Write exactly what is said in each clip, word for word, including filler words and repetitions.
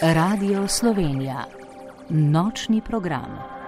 Radio Slovenija. Nočni program.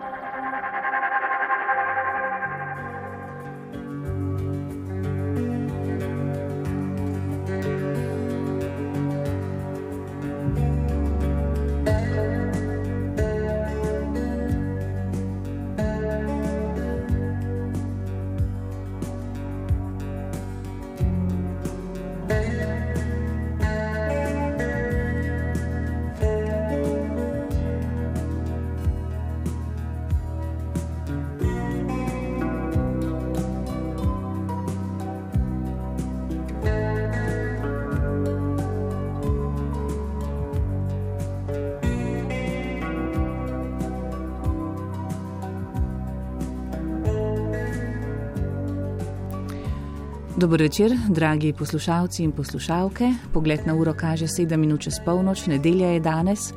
Dober večer, dragi poslušalci in poslušalke. Pogled na uro kaže sedem minut čez polnoč, nedelja je danes,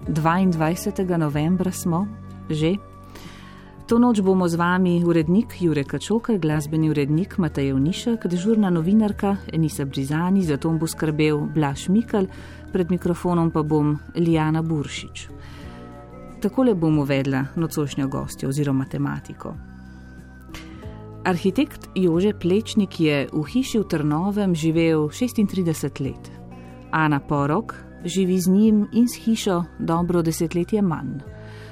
dvaindvajsetega novembra smo, že. To noč bomo z vami urednik Jure Kačoker, glasbeni urednik Matej Ovnišek, dežurna novinarka Enisa Brizani, za to bo skrbel Blaž Mikl, pred mikrofonom pa bom Lijana Buršič. Takole bom uvedla nocojšnjo gostjo oziroma tematiko. Arhitekt Jože Plečnik je v hiši v Trnovem živel šestintrideset let. Ana Porok živi z njim in s hišo dobro desetletje manj.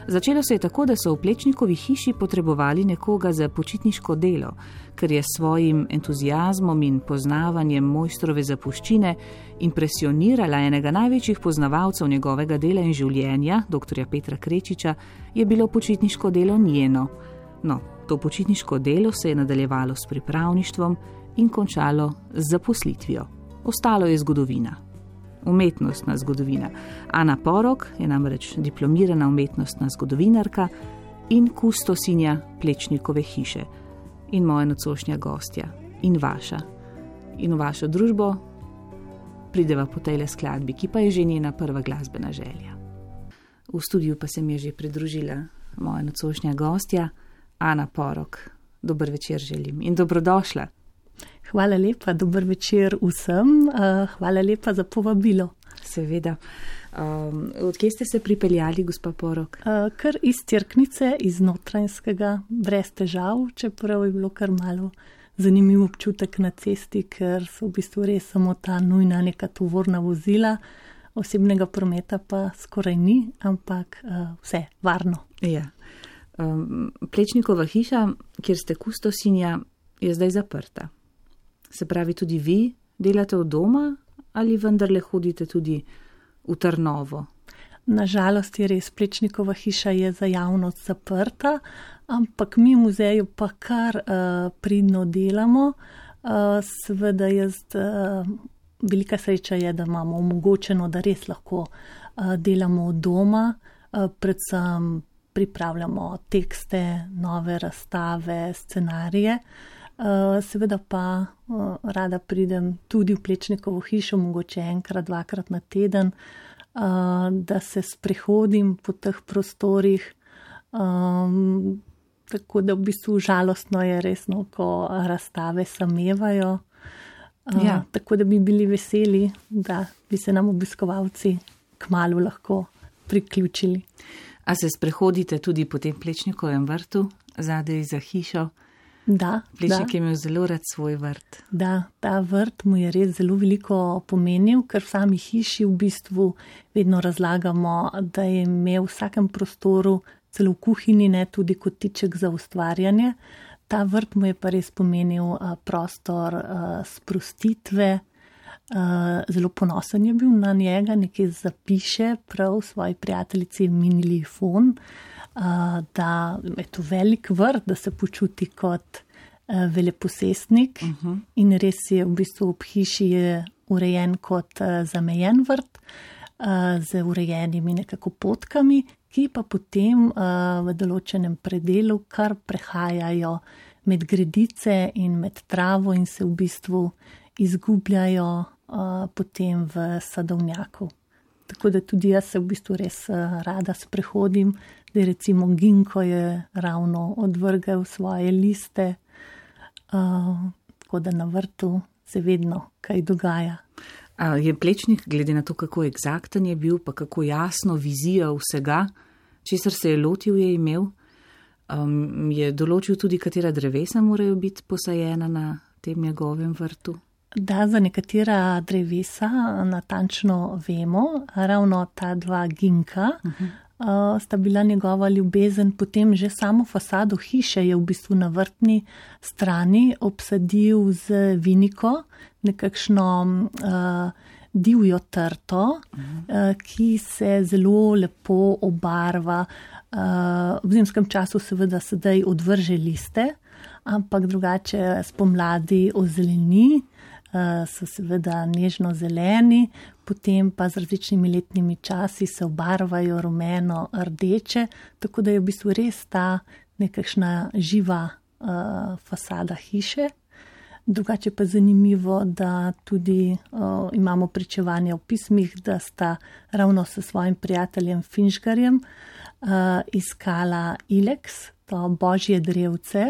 Začelo se je tako, da so v Plečnikovi hiši potrebovali nekoga za počitniško delo, ker je s svojim entuziazmom in poznavanjem mojstrove zapuščine impresionirala enega največjih poznavalcev njegovega dela in življenja, doktorja Petra Krečiča, je bilo počitniško delo njeno. No, to počitniško delo se je nadaljevalo s pripravništvom in končalo z zaposlitvijo. Ostalo je zgodovina. Umetnostna zgodovina. Ana Porok je namreč diplomirana umetnostna zgodovinarka in kustosinja Plečnikove hiše. In moja nocojšnja gostja. In vaša. In v vašo družbo prideva po tejle skladbi, ki pa je že njena prva glasbena želja. V studiu pa se mi je že pridružila moja nocojšnja gostja, Ana Porok. Dober večer želim in dobrodošla. Hvala lepa, dober večer vsem. Hvala lepa za povabilo. Seveda. Um, odkje ste se pripeljali, gospa Porok? Kar iz Cerknice, iz Notranjskega, brez težav, čeprav je bilo kar malo zanimiv občutek na cesti, ker so v bistvu res samo ta nujna neka tovorna vozila, osebnega prometa pa skoraj ni, ampak vse varno. Ja. Um, Plečnikova hiša, kjer ste kustosinja, je zdaj zaprta. Se pravi, tudi vi delate od doma ali vendarle hodite tudi v Trnovo? Nažalost je res, Plečnikova hiša je za javnost zaprta, ampak mi v muzeju pa kar uh, pridno delamo. Uh, seveda jaz, uh, velika sreča je, da imamo omogočeno, da res lahko uh, delamo od doma, uh, predvsem pripravljamo tekste, nove razstave, scenarije. Seveda pa rada pridem tudi v Plečnikovo hišo, mogoče enkrat, dvakrat na teden, da se sprehodim po teh prostorih. Tako da v bistvu žalostno je resno, ko razstave samevajo. Ja. Tako da bi bili veseli, da bi se nam obiskovalci kmalu lahko priključili. A se sprehodite tudi po tem Plečnikovem vrtu, zadaj za hišo? Da. Plečnik da. je imel zelo rad svoj vrt. Da, ta vrt mu je res zelo veliko pomenil, ker v sami hiši v bistvu vedno razlagamo, da je imel v vsakem prostoru, celo v kuhinji, ne, tudi kotiček za ustvarjanje. Ta vrt mu je pa res pomenil prostor sprostitve. Zelo ponosen je bil na njega, nekaj zapiše prav svoji prijateljici Minili Fon, da je to velik vrt, da se počuti kot veleposestnik. Uh-huh. In res je v bistvu ob hiši je urejen kot zamejen vrt z urejenimi nekako potkami, ki pa potem v določenem predelu kar prehajajo med gredice in med travo in se v bistvu izgubljajo uh, potem v sadovnjaku. Tako da tudi jaz se v bistvu res uh, rada sprehodim, da recimo ginko je ravno odvrgel svoje liste, uh, tako da na vrtu se vedno kaj dogaja. A je Plečnik, glede na to, kako eksakten je bil, pa kako jasno vizijo vsega, česar se je lotil, je imel, um, je določil tudi, katera drevesa morajo biti posajena na tem njegovem vrtu? Da, za nekatera drevesa natančno vemo, ravno ta dva ginka uh-huh. uh, sta bila njegova ljubezen, potem že samo fasado hiše je v bistvu na vrtni strani obsadil z viniko, nekakšno uh, divjo trto, uh-huh. uh, ki se zelo lepo obarva. Uh, v zimskem času seveda sedaj odvrže liste, ampak drugače spomladi ozeleni, uh, so seveda nežno zeleni, potem pa z različnimi letnimi časi se obarvajo rumeno, rdeče, tako da je v bistvu res ta nekakšna živa uh, fasada hiše. Drugače pa zanimivo, da tudi uh, imamo pričevanja v pismih, da sta ravno s svojim prijateljem Finžgarjem uh, iskala ileks, to božje drevce,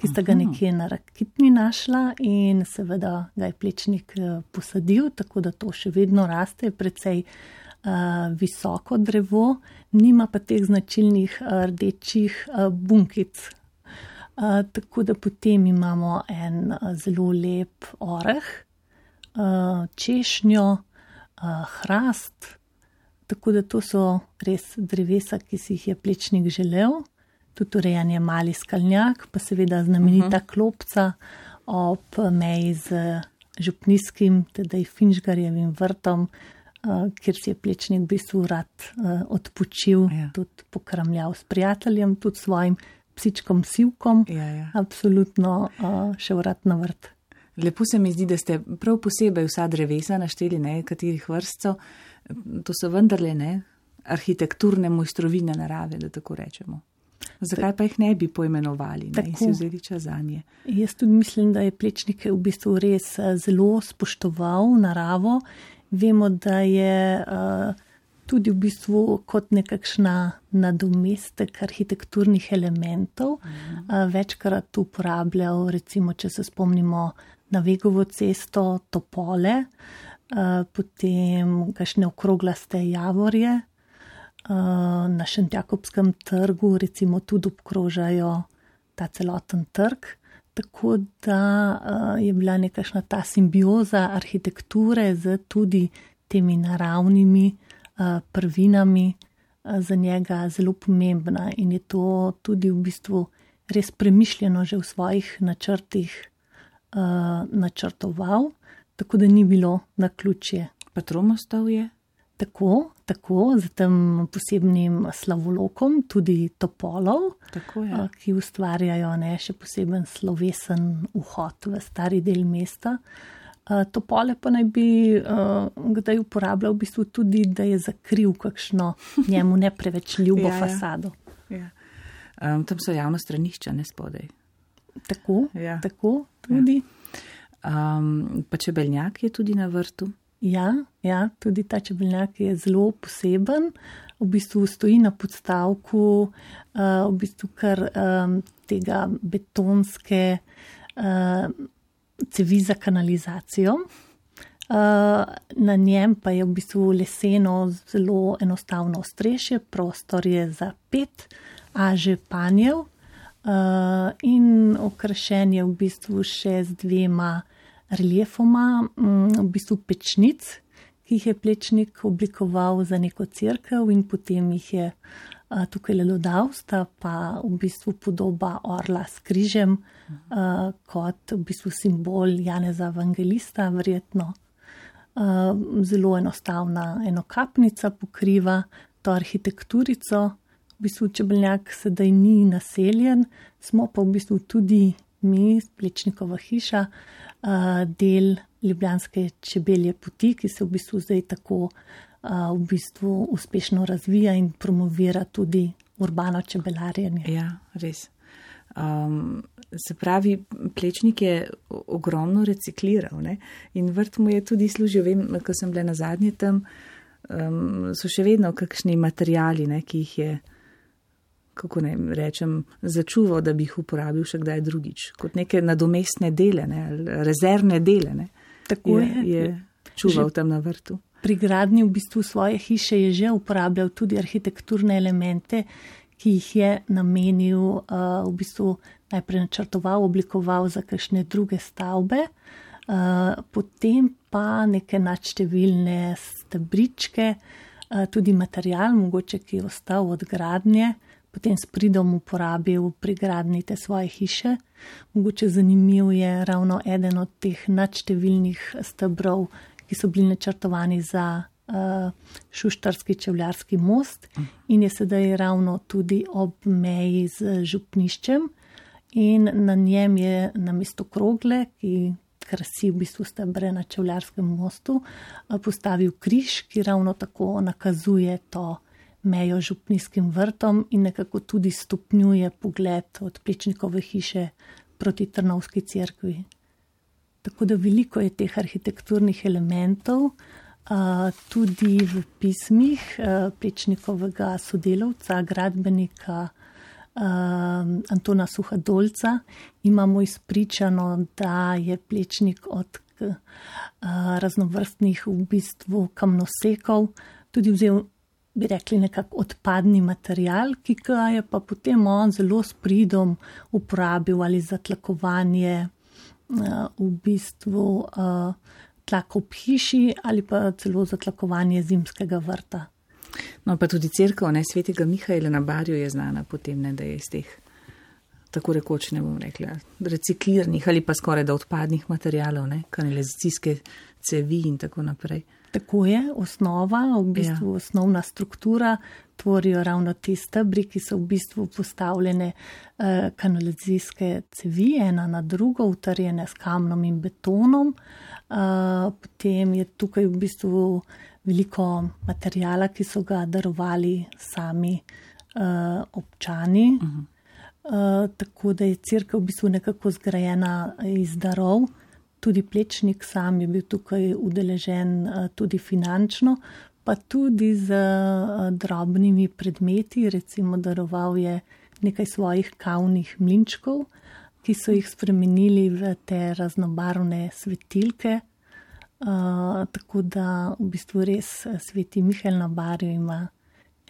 ki sta ga nekje na Rakitni našla in seveda ga je Plečnik posadil, tako da to še vedno raste, precej uh, visoko drevo, nima pa teh značilnih uh, rdečih uh, bunkic. Uh, tako da potem imamo en uh, zelo lep oreh, uh, češnjo, uh, hrast, tako da to so res drevesa, ki si jih je Plečnik želel. Tudi urejen je mali skalnjak, pa seveda znamenita uh-huh. klopca ob meji z župnijskim, tedaj Finžgarjevim vrtom, uh, kjer si je Plečnik v bistvu rad uh, odpočil, ja. Tudi pokramljal s prijateljem, tudi svojim psičkom Sivkom, ja, ja. Absolutno uh, šel rad na vrt. Lepo se mi zdi, da ste prav posebej vsa drevesa našteli, ne, katerih vrstov, to so vendarle ne, arhitekturne mojstrovine narave, da tako rečemo. Zakaj pa jih ne bi poimenovali, ne, in si vzeli čas zanje? Jaz tudi mislim, da je Plečnik v bistvu res zelo spoštoval naravo. Vemo, da je uh, tudi v bistvu kot nekakšna nadomestek arhitekturnih elementov uh-huh. uh, večkrat uporabljal, recimo, če se spomnimo na Vegovo cesto, topole, uh, potem kakšne okroglaste javorje. Na Šentjakobskem trgu recimo tudi obkrožajo ta celoten trg, tako da je bila nekakšna ta simbioza arhitekture z tudi temi naravnimi prvinami za njega zelo pomembna in je to tudi v bistvu res premišljeno že v svojih načrtih načrtoval, tako da ni bilo naključje. Pa Tromostovje je? Tako, tako, z tem posebnim slavolokom, tudi topolov, tako, ja. Ki ustvarjajo ne, še poseben slovesen vhod v stari del mesta. Topole pa naj bi uh, kdaj uporabljal v bistvu tudi, da je zakril kakšno njemu ne preveč ljubo ja, fasado. Ja. Um, tam so javno stranišča, ne spodaj. Tako, ja. tako tudi. Ja. Um, pa čebeljak je tudi na vrtu. Ja, ja, tudi ta čebeljak je zelo poseben, v bistvu stoji na podstavku, uh, v bistvu kar um, tega betonske uh, cevi za kanalizacijo. Uh, na njem pa je v bistvu leseno zelo enostavno ostrešje, prostor je za pet aže panjev uh, in okrašen je v bistvu še z dvema reliefoma, v bistvu pečnic, ki jih je Plečnik oblikoval za neko cerkev in potem jih je a, tukaj le dodal, sta pa v bistvu podoba orla s križem a, kot v bistvu simbol Janeza Evangelista, verjetno. A, zelo enostavna enokapnica pokriva to arhitekturico. V bistvu čebeljak sedaj ni naseljen, smo pa v bistvu tudi mi, Plečnikova hiša, del Ljubljanske čebelje poti, ki se v bistvu zdaj tako v bistvu uspešno razvija in promovira tudi urbano čebelarjenje. Ja, res. Um, se pravi, Plečnik je ogromno recikliral, ne? In vrt mu je tudi služil, vem, ko sem bila na zadnje tam, um, so še vedno kakšni materijali, ne, ki jih je, kako ne rečem, začuval, da bi jih uporabil še kdaj drugič, kot neke nadomestne dele, ne, rezervne dele. Ne. Tako je. je. čuval že tam na vrtu. Pri gradnji v bistvu svoje hiše je že uporabljal tudi arhitekturne elemente, ki jih je namenil, uh, v bistvu najprej načrtoval, oblikoval za kakšne druge stavbe, uh, potem pa neke nadštevilne stebričke, uh, tudi material, mogoče ki je ostal od gradnje, potem s pridom uporabil pri gradnji te svoje hiše. Mogoče zanimiv je ravno eden od teh nadštevilnih stebrov, ki so bili načrtovani za uh, Šuštarski čevljarski most in je sedaj ravno tudi ob meji z župniščem in na njem je namesto krogle, ki krasi v bistvu stebre na čevljarskem mostu, uh, postavil križ, ki ravno tako nakazuje to mejo župnijskim vrtom in nekako tudi stopnjuje pogled od Plečnikove hiše proti Trnovski cerkvi. Tako da veliko je teh arhitekturnih elementov, tudi v pismih Plečnikovega sodelavca, gradbenika Antona Suhadolca. Imamo izpričano, da je Plečnik od raznovrstnih v bistvu kamnosekov tudi vzel, bi rekli, nekako odpadni material, ki ga je pa potem on zelo s pridom uporabil ali za tlakovanje v bistvu uh, tlak ob hiši ali pa celo zatlakovanje zimskega vrta. No pa tudi cerkev, ne, svetega Mihaela na Barju je znana potem, ne, da je iz teh, tako rekoč, ne bom rekla, recikliranih ali pa skoraj da odpadnih materialov, ne, kanalizacijske cevi in tako naprej. Tako je, osnova, v bistvu ja. Osnovna struktura tvorijo ravno te stebri, ki so v bistvu postavljene eh, kanalizacijske cevi, ena na drugo, utrjene s kamnom in betonom. Eh, potem je tukaj v bistvu veliko materijala, ki so ga darovali sami eh, občani. Uh-huh. eh, tako da je cerkev v bistvu nekako zgrajena iz darov. Tudi Plečnik sam je bil tukaj udeležen tudi finančno, pa tudi z drobnimi predmeti, recimo daroval je nekaj svojih kavnih mlinčkov, ki so jih spremenili v te raznobarvne svetilke, uh, tako da v bistvu res sveti Mihael na Barju ima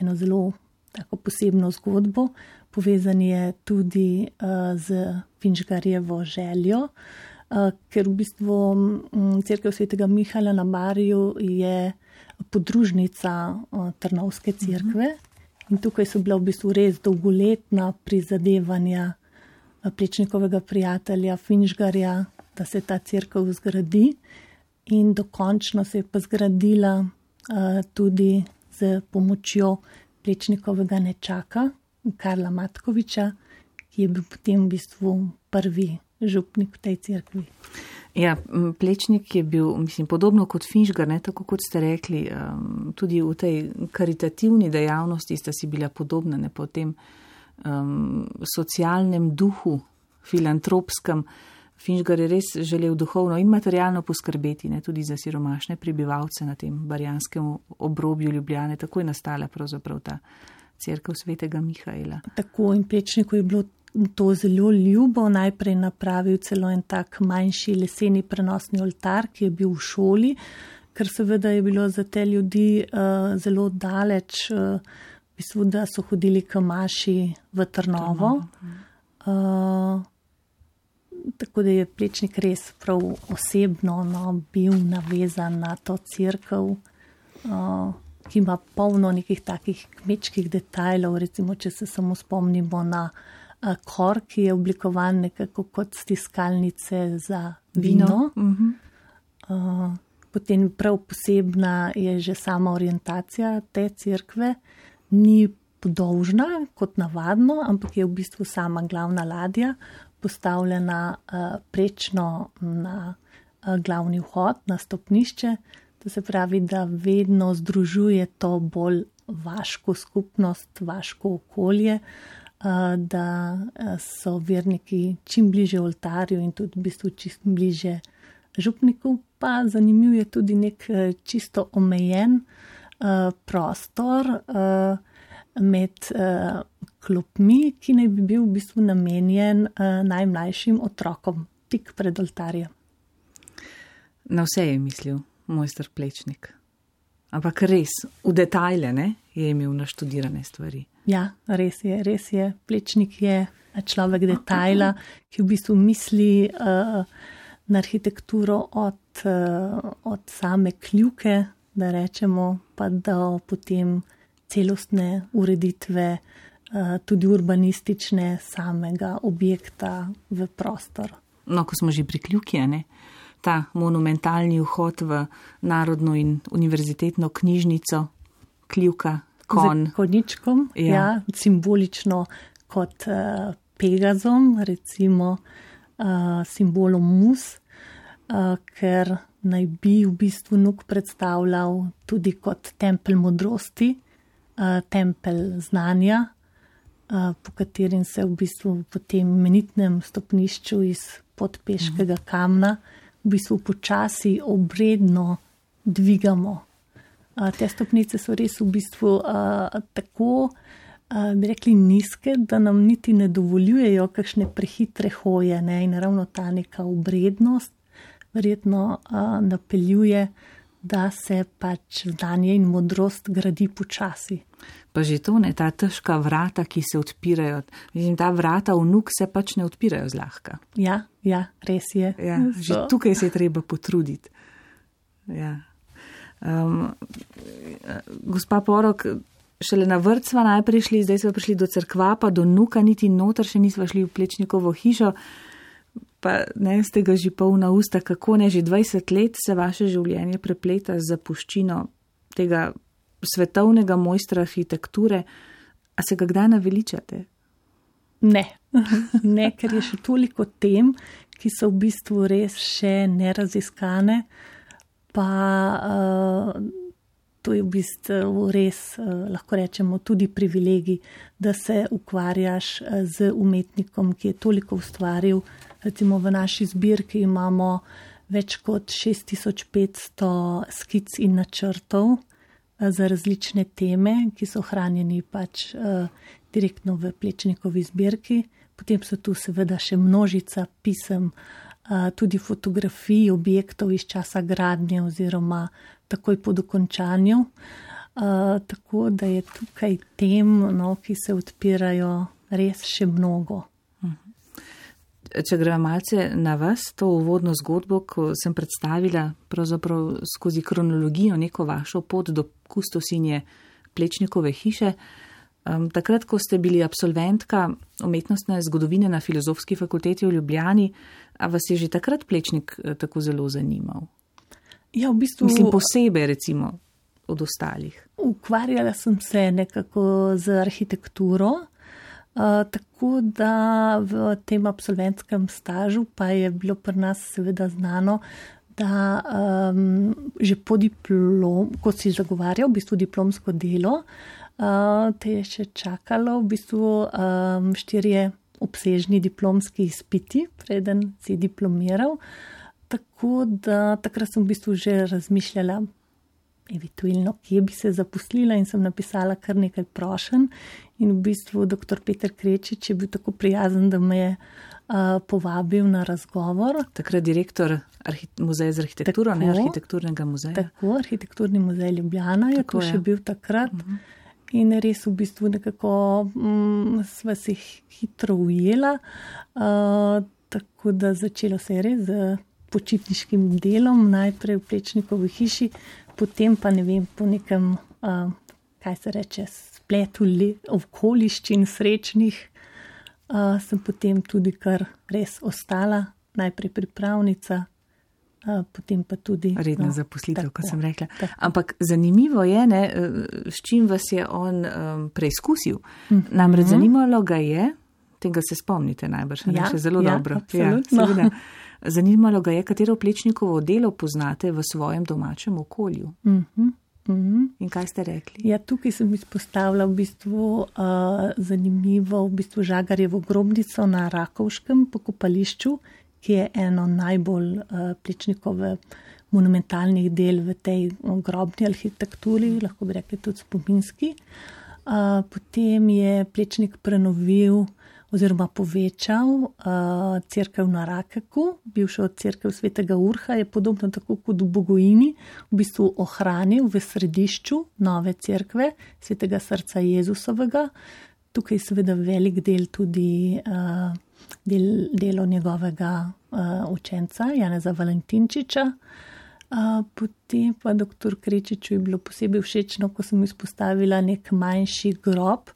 eno zelo tako posebno zgodbo, povezan je tudi uh, z Finžgarjevo željo, ker v bistvu cerkev svetega Mihaela na Barju je podružnica Trnovske cerkve in tukaj so bila v bistvu res dolgoletna prizadevanja Plečnikovega prijatelja Finžgarja, da se ta cerkev zgradi in dokončno se je pa zgradila tudi z pomočjo Plečnikovega nečaka Karla Matkoviča, ki je bil potem v bistvu prvi župnik v tej cerkvi. Ja, Plečnik je bil, mislim, podobno kot Finžgar, ne, tako kot ste rekli, um, tudi v tej karitativni dejavnosti sta si bila podobna, ne, po tem um, socialnem duhu, filantropskem. Finžgar je res želel duhovno in materialno poskrbeti, ne, tudi za siromašne prebivalce na tem barjanskem obrobju Ljubljane. Tako je nastala pravzaprav ta cerkev svetega Mihaela. Tako, in Plečniku je bilo to zelo ljubo, najprej napravil celo en tak manjši leseni prenosni oltar, ki je bil v šoli, ker seveda je bilo za te ljudi uh, zelo daleč, uh, v bistvu, da so hodili k maši v Trnovo. Uh, tako da je Plečnik res prav osebno no, bil navezan na to cerkev, uh, ki ima polno nekih takih kmečkih detajlov, recimo, če se samo spomnimo na kor, ki je oblikovan nekako kot stiskalnice za vino. vino. Uh-huh. Uh, potem prav posebna je že sama orientacija te cerkve. Ni podolžna kot navadno, ampak je v bistvu sama glavna ladja postavljena uh, prečno na uh, glavni vhod, na stopnišče. To se pravi, da vedno združuje to bolj vaško skupnost, vaško okolje, da so verniki čim bliže oltarju in tudi v bistvu čim bliže župniku. Pa zanimiv je tudi nek čisto omejen prostor med klopmi, ki naj bi bil v bistvu namenjen najmlajšim otrokom tik pred oltarjem. Na vse je mislil. mojster Plečnik. Ampak res, v detajle, ne, je imel naštudirane stvari. Ja, res je, res je. Plečnik je človek detajla, ki v bistvu misli uh, na arhitekturo od, uh, od same kljuke, da rečemo, pa do potem celostne ureditve, uh, tudi urbanistične samega objekta v prostor. No, ko smo že pri kljuki, ne? Ta monumentalni vhod v Narodno in univerzitetno knjižnico, kljuka, kon. Z konjičkom, ja. Ja, simbolično kot uh, Pegazom, recimo uh, simbolom mus, uh, ker naj bi v bistvu Nuk predstavljal tudi kot tempelj modrosti, uh, tempelj znanja, uh, po katerim se v bistvu po tem imenitnem stopnišču iz podpeškega kamna v bistvu počasi obredno dvigamo. Uh, te stopnice so res v bistvu uh, tako, uh, bi rekli, nizke, da nam niti ne dovoljujejo kakšne prehitre hoje, ne? In ravno ta neka obrednost verjetno uh, napeljuje, da se pač znanje in modrost gradi počasi. Pa že to, ne, ta težka vrata, ki se odpirajo. Mislim, ta vrata v Nuk se pač ne odpirajo zlahka. Ja, ja, res je. Ja, že so. Tukaj se je treba potruditi. Ja. Um, gospa Porok, šele na vrt sva najprej šli, zdaj sva prišli do cerkva, pa do Nuka, niti noter še nisva šli v Plečnikovo hišo. Pa ne, ste ga že polna usta, kako ne, že dvajset let se vaše življenje prepleta z zapuščino tega svetovnega mojstra arhitekture. A se ga kdaj naveličate? Ne, ne, ker je še toliko tem, ki so v bistvu res še neraziskane, pa uh, to je v bistvu res, uh, lahko rečemo, tudi privilegij, da se ukvarjaš z umetnikom, ki je toliko ustvaril. Recimo v naši zbirki imamo več kot šest tisoč petsto skic in načrtov za različne teme, ki so hranjeni pač uh, direktno v Plečnikovi zbirki. Potem so tu seveda še množica pisem, uh, tudi fotografij objektov iz časa gradnje oziroma takoj po dokončanju. Uh, tako da je tukaj tem, no, ki se odpirajo, res še mnogo. Če gremo malce na vas, to uvodno zgodbo, ko sem predstavila pravzaprav skozi kronologijo neko vašo pot do kustosinje Plečnikove hiše, um, takrat, ko ste bili absolventka umetnostne zgodovine na Filozofski fakulteti v Ljubljani, a vas je že takrat Plečnik tako zelo zanimal? Ja, v bistvu... Mislim, posebej recimo od ostalih. Ukvarjala sem se nekako z arhitekturo, Uh, tako da v tem absolventskem stažu pa je bilo pri nas seveda znano, da um, že po diplom, ko si zagovarjal v bistvu diplomsko delo, uh, te je še čakalo v bistvu um, štirje obsežni diplomski izpiti, preden si diplomiral. Tako da takrat sem v bistvu že razmišljala, eventualno, kje bi se zaposlila, in sem napisala kar nekaj prošenj. In v bistvu doktor Peter Krečič je bil tako prijazen, da me je uh, povabil na razgovor. Takrat direktor arhi- muzeja za arhitekturo, tako, ne arhitekturnega muzeja. Tako, arhitekturni muzej Ljubljana je tako to je. Še bil takrat. Uh-huh. In res v bistvu nekako mm, sva se hitro ujela. Uh, tako da začelo se je res z počitniškim delom, najprej v Plečnikovi hiši, potem pa ne vem, po nekem, uh, kaj se reče, spletu okoliščin srečnih, uh, sem potem tudi kar res ostala, najprej pripravnica, uh, potem pa tudi... Redna no, zaposlitev, tako, kot sem rekla. Tako. Ampak zanimivo je, ne, s čim vas je on um, preizkusil. Mm-hmm. Namreč zanimalo ga je, tega se spomnite najbrž, ne, ja, še zelo ja, dobro. Absolutno. Ja, zanimalo ga je, katero Plečnikovo delo poznate v svojem domačem okolju. Mm-hmm. Mm-hmm. In kaj ste rekli? Ja, tukaj sem izpostavila v bistvu uh, zanimivo v bistvu Žagarjevo grobnico na Rakovškem pokopališču, ki je eno najbolj uh, Plečnikove monumentalnih del v tej grobni arhitekturi, lahko bi rekli tudi spominski. Uh, potem je Plečnik prenovil oziroma povečal uh, cerkev na Rakeku, bivšo cerkev svetega Urha, je podobno tako kot v Bogojini, v bistvu ohranil v središču nove cerkve svetega srca Jezusovega. Tukaj je seveda velik del tudi uh, del, delo njegovega uh, učenca Janeza Valentinčiča. Uh, potem pa doktor Krečiču je bilo posebej všečno, ko sem izpostavila nek manjši grob,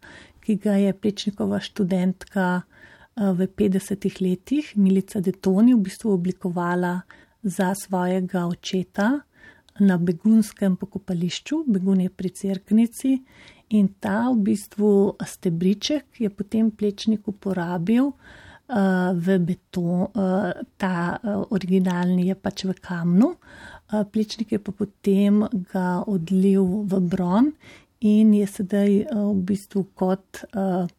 ki ga je Plečnikova študentka uh, v petdesetih letih, Milica Detoni, v bistvu oblikovala za svojega očeta na begunskem pokopališču. Begun je pri Cerknici in ta v bistvu stebriček je potem Plečnik uporabil uh, v beton, uh, ta uh, originalni je pač v kamnu. Plečnik je pa potem ga odlil v bron in je sedaj v bistvu kot uh,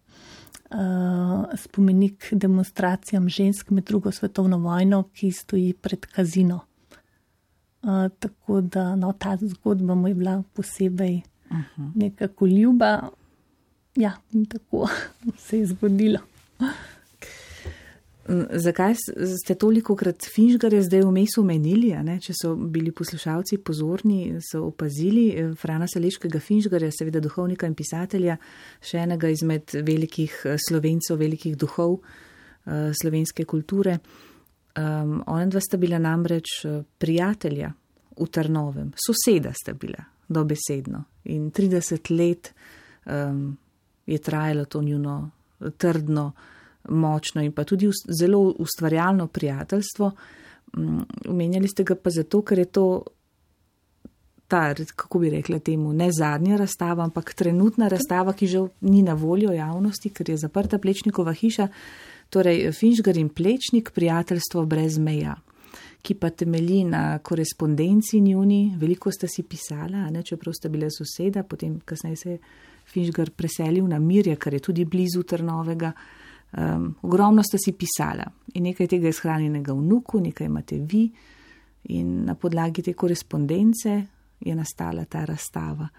uh, spomenik demonstracijam žensk med drugo svetovno vojno, ki stoji pred kazino. Uh, tako da no, ta zgodba mu je bila posebej uh-huh. nekako ljuba. Ja, in tako se je zgodilo. Zakaj ste toliko krat Finžgarja zdaj vmes omenili, ne? Če so bili poslušalci pozorni, so opazili Frana Saleškega Finžgarja, seveda duhovnika in pisatelja, še enega izmed velikih Slovencev, velikih duhov uh, slovenske kulture. Um, ona dva sta bila namreč prijatelja v Trnovem, soseda sta bila dobesedno in trideset let um, je trajalo to njuno trdno, močno in pa tudi zelo ustvarjalno prijateljstvo. Omenjali ste ga pa zato, ker je to ta, kako bi rekla temu, ne zadnja razstava, ampak trenutna razstava, ki že ni na voljo javnosti, ker je zaprta Plečnikova hiša, torej Finžgar in Plečnik, prijateljstvo brez meja, ki pa temelji na korespondenci njuni, veliko sta si pisala, ne, čeprav sta bila soseda, potem kasneje se je Finžgar preselil na Mirje, kar je tudi blizu Trnovega. Um, ogromno sta si pisala in nekaj tega je shranjenega v Nuku, nekaj imate vi in na podlagi te korespondence je nastala ta razstava.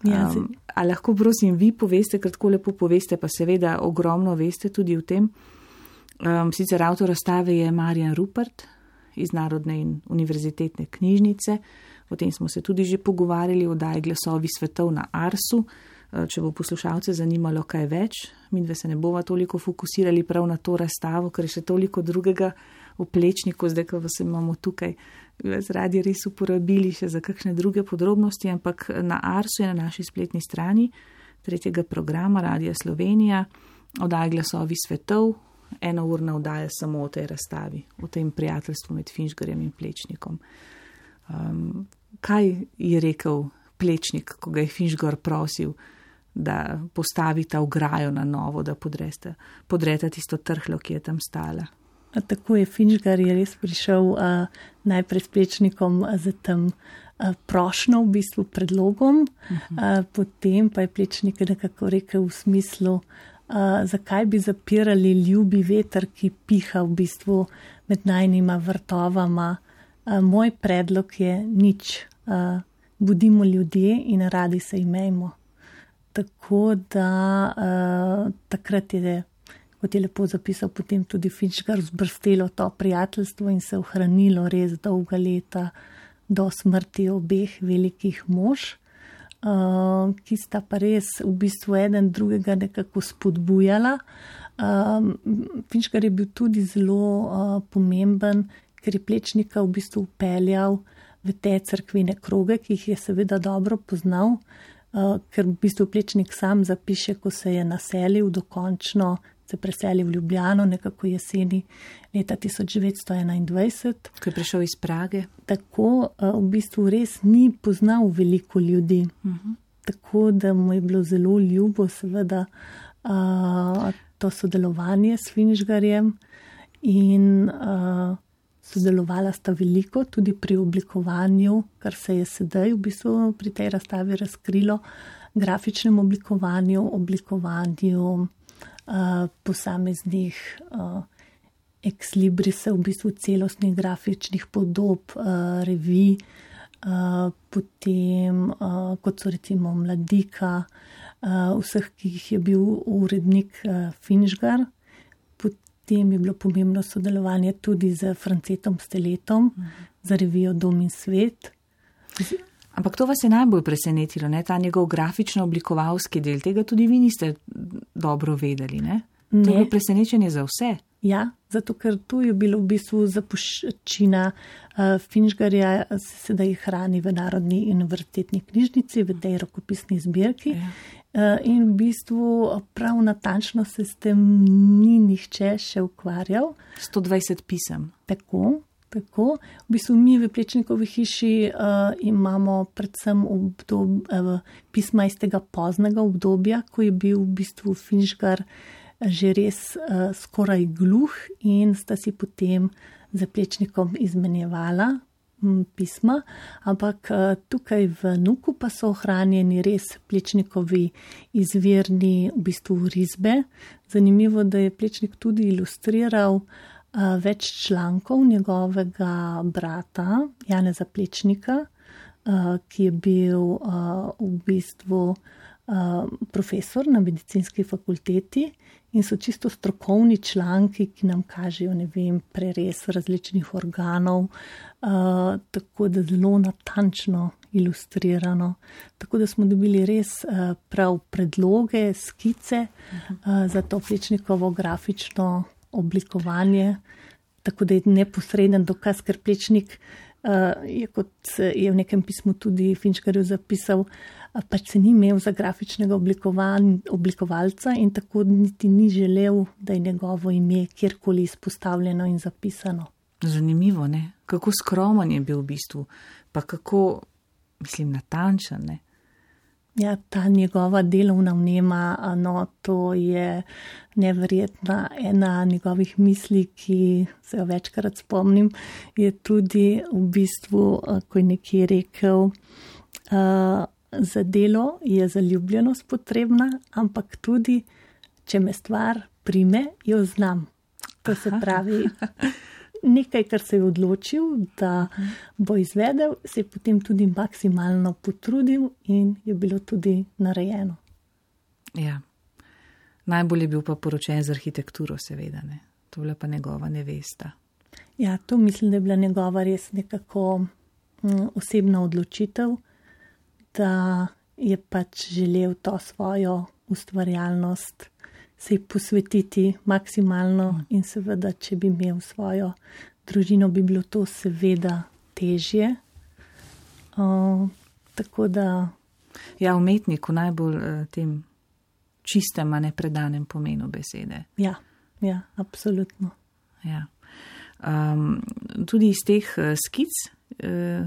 Um, a lahko prosim vi poveste, ker tako lepo poveste, pa seveda ogromno veste tudi o tem. Um, sicer avtor razstave je Marjan Rupert iz Narodne in univerzitetne knjižnice, o tem smo se tudi že pogovarjali, oddaji Glasovi svetov na Arsu. Če bo poslušalce zanimalo kaj več, midve se ne bova toliko fokusirali prav na to razstavo, ker je še toliko drugega v Plečniku, zdaj, ko vas imamo tukaj, bi vas radi res uporabili še za kakšne druge podrobnosti, ampak na Arsu je na naši spletni strani tretjega programa Radia Slovenija, oddaja Glasovi svetov, eno urna oddaja samo o tej razstavi, o tem prijateljstvu med Finžgarjem in Plečnikom. Um, kaj je rekel Plečnik, ko ga je Finžgar prosil, da postavita ograjo na novo, da podrete, podrete tisto trhlo, ki je tam stala. A tako je Finžgar je res prišel a, najprej s Plečnikom za tem prošnjo, v bistvu predlogom, uh-huh. a, potem pa je Plečnik nekako rekel v smislu, a, zakaj bi zapirali ljubi veter, ki piha v bistvu med najnima vrtovama. A, moj predlog je nič, a, budimo ljudje in radi se imejmo. Tako da uh, takrat je, kot je lepo zapisal, potem tudi Finžgar zbrstelo to prijateljstvo in se ohranilo res dolga leta do smrti obeh velikih mož, uh, ki sta pa res v bistvu eden drugega nekako spodbujala. Uh, Finžgar je bil tudi zelo uh, pomemben, ker je Plečnika v bistvu upeljal v te cerkvene kroge, ki jih je seveda dobro poznal. Uh, ker v bistvu Plečnik sam zapiše, ko se je naselil, dokončno se preselil v Ljubljano, nekako jeseni leta tisoč devetsto enaindvajset. Ko je prišel iz Prage. Tako uh, v bistvu res ni poznal veliko ljudi. Uh-huh. Tako da mu je bilo zelo ljubo seveda uh, to sodelovanje s Finžgarjem in uh, sodelovala sta veliko tudi pri oblikovanju, kar se je sedaj v bistvu pri tej razstavi razkrilo, grafičnem oblikovanju, oblikovanju uh, posameznih uh, ex librise, v bistvu celostnih grafičnih podob, uh, revij, uh, potem uh, kot so recimo Mladika, vseh, ki jih je bil urednik Finžgar. Potem je bilo pomembno sodelovanje tudi z Francetom Steletom, uh-huh. za revijo Dom in svet. Ampak to vas je najbolj presenetilo, ne? Ta njegov grafično-oblikovalski del, tega tudi vi niste dobro vedeli, ne? ne. To je bilo presenečenje za vse. Ja, zato ker tu je bilo v bistvu zapuščina uh, Finžgarja, se sedaj hrani v Narodni univerzitetni knjižnici, v tej rokopisni zbirki. Ja. Uh, in v bistvu prav natančno se s tem ni nihče še ukvarjal. sto dvajset pisem. Tako. Tako. V bistvu mi v Plečnikovi hiši uh, imamo predvsem obdob, uh, pisma iz tega poznega obdobja, ko je bil v bistvu Finžgar že res uh, skoraj gluh in sta si potem za Plečnikom izmenjevala m, pisma, ampak uh, tukaj v Nuku pa so ohranjeni res Plečnikovi izvirni v bistvu risbe. Zanimivo, da je Plečnik tudi ilustriral Uh, več člankov njegovega brata Janeza Plečnika, uh, ki je bil uh, v bistvu uh, profesor na medicinski fakulteti in so čisto strokovni članki, ki nam kažejo, ne vem, prerez različnih organov, uh, tako da zelo natančno ilustrirano. Tako da smo dobili res uh, prav predloge, skice uh, za to Plečnikovo grafično oblikovanje, tako da je neposreden dokaz, ker Plečnik uh, je, kot je v nekem pismu tudi Finžgarju zapisal, uh, pač se ni imel za grafičnega oblikovalca in tako niti ni želel, da je njegovo ime kjerkoli izpostavljeno in zapisano. Zanimivo, ne? Kako skromen je bil v bistvu, pa kako, mislim, natančen, ne? Ja, ta njegova delovna vnema, no, to je neverjetna. Ena njegovih misli, ki se jo večkrat spomnim, je tudi v bistvu, ko je nekje rekel, uh, za delo je zaljubljenost potrebna, ampak tudi, če me stvar prime, jo znam. To se pravi, nekaj, kar se je odločil, da bo izvedel, se je potem tudi maksimalno potrudil in je bilo tudi narejeno. Ja, najbolj je bil pa poročen z arhitekturo, seveda, ne. To je bila pa njegova nevesta. Ja, to mislim, da je bila njegova res nekako m, osebna odločitev, da je pač želel to svojo ustvarjalnost se ji posvetiti maksimalno in seveda, če bi imel svojo družino, bi bilo to seveda težje. Uh, tako da... Ja, umetnik v najbolj uh, tem čistem, a ne predanem pomenu besede. Ja, ja, absolutno. Ja. Um, tudi iz teh uh, skic, uh,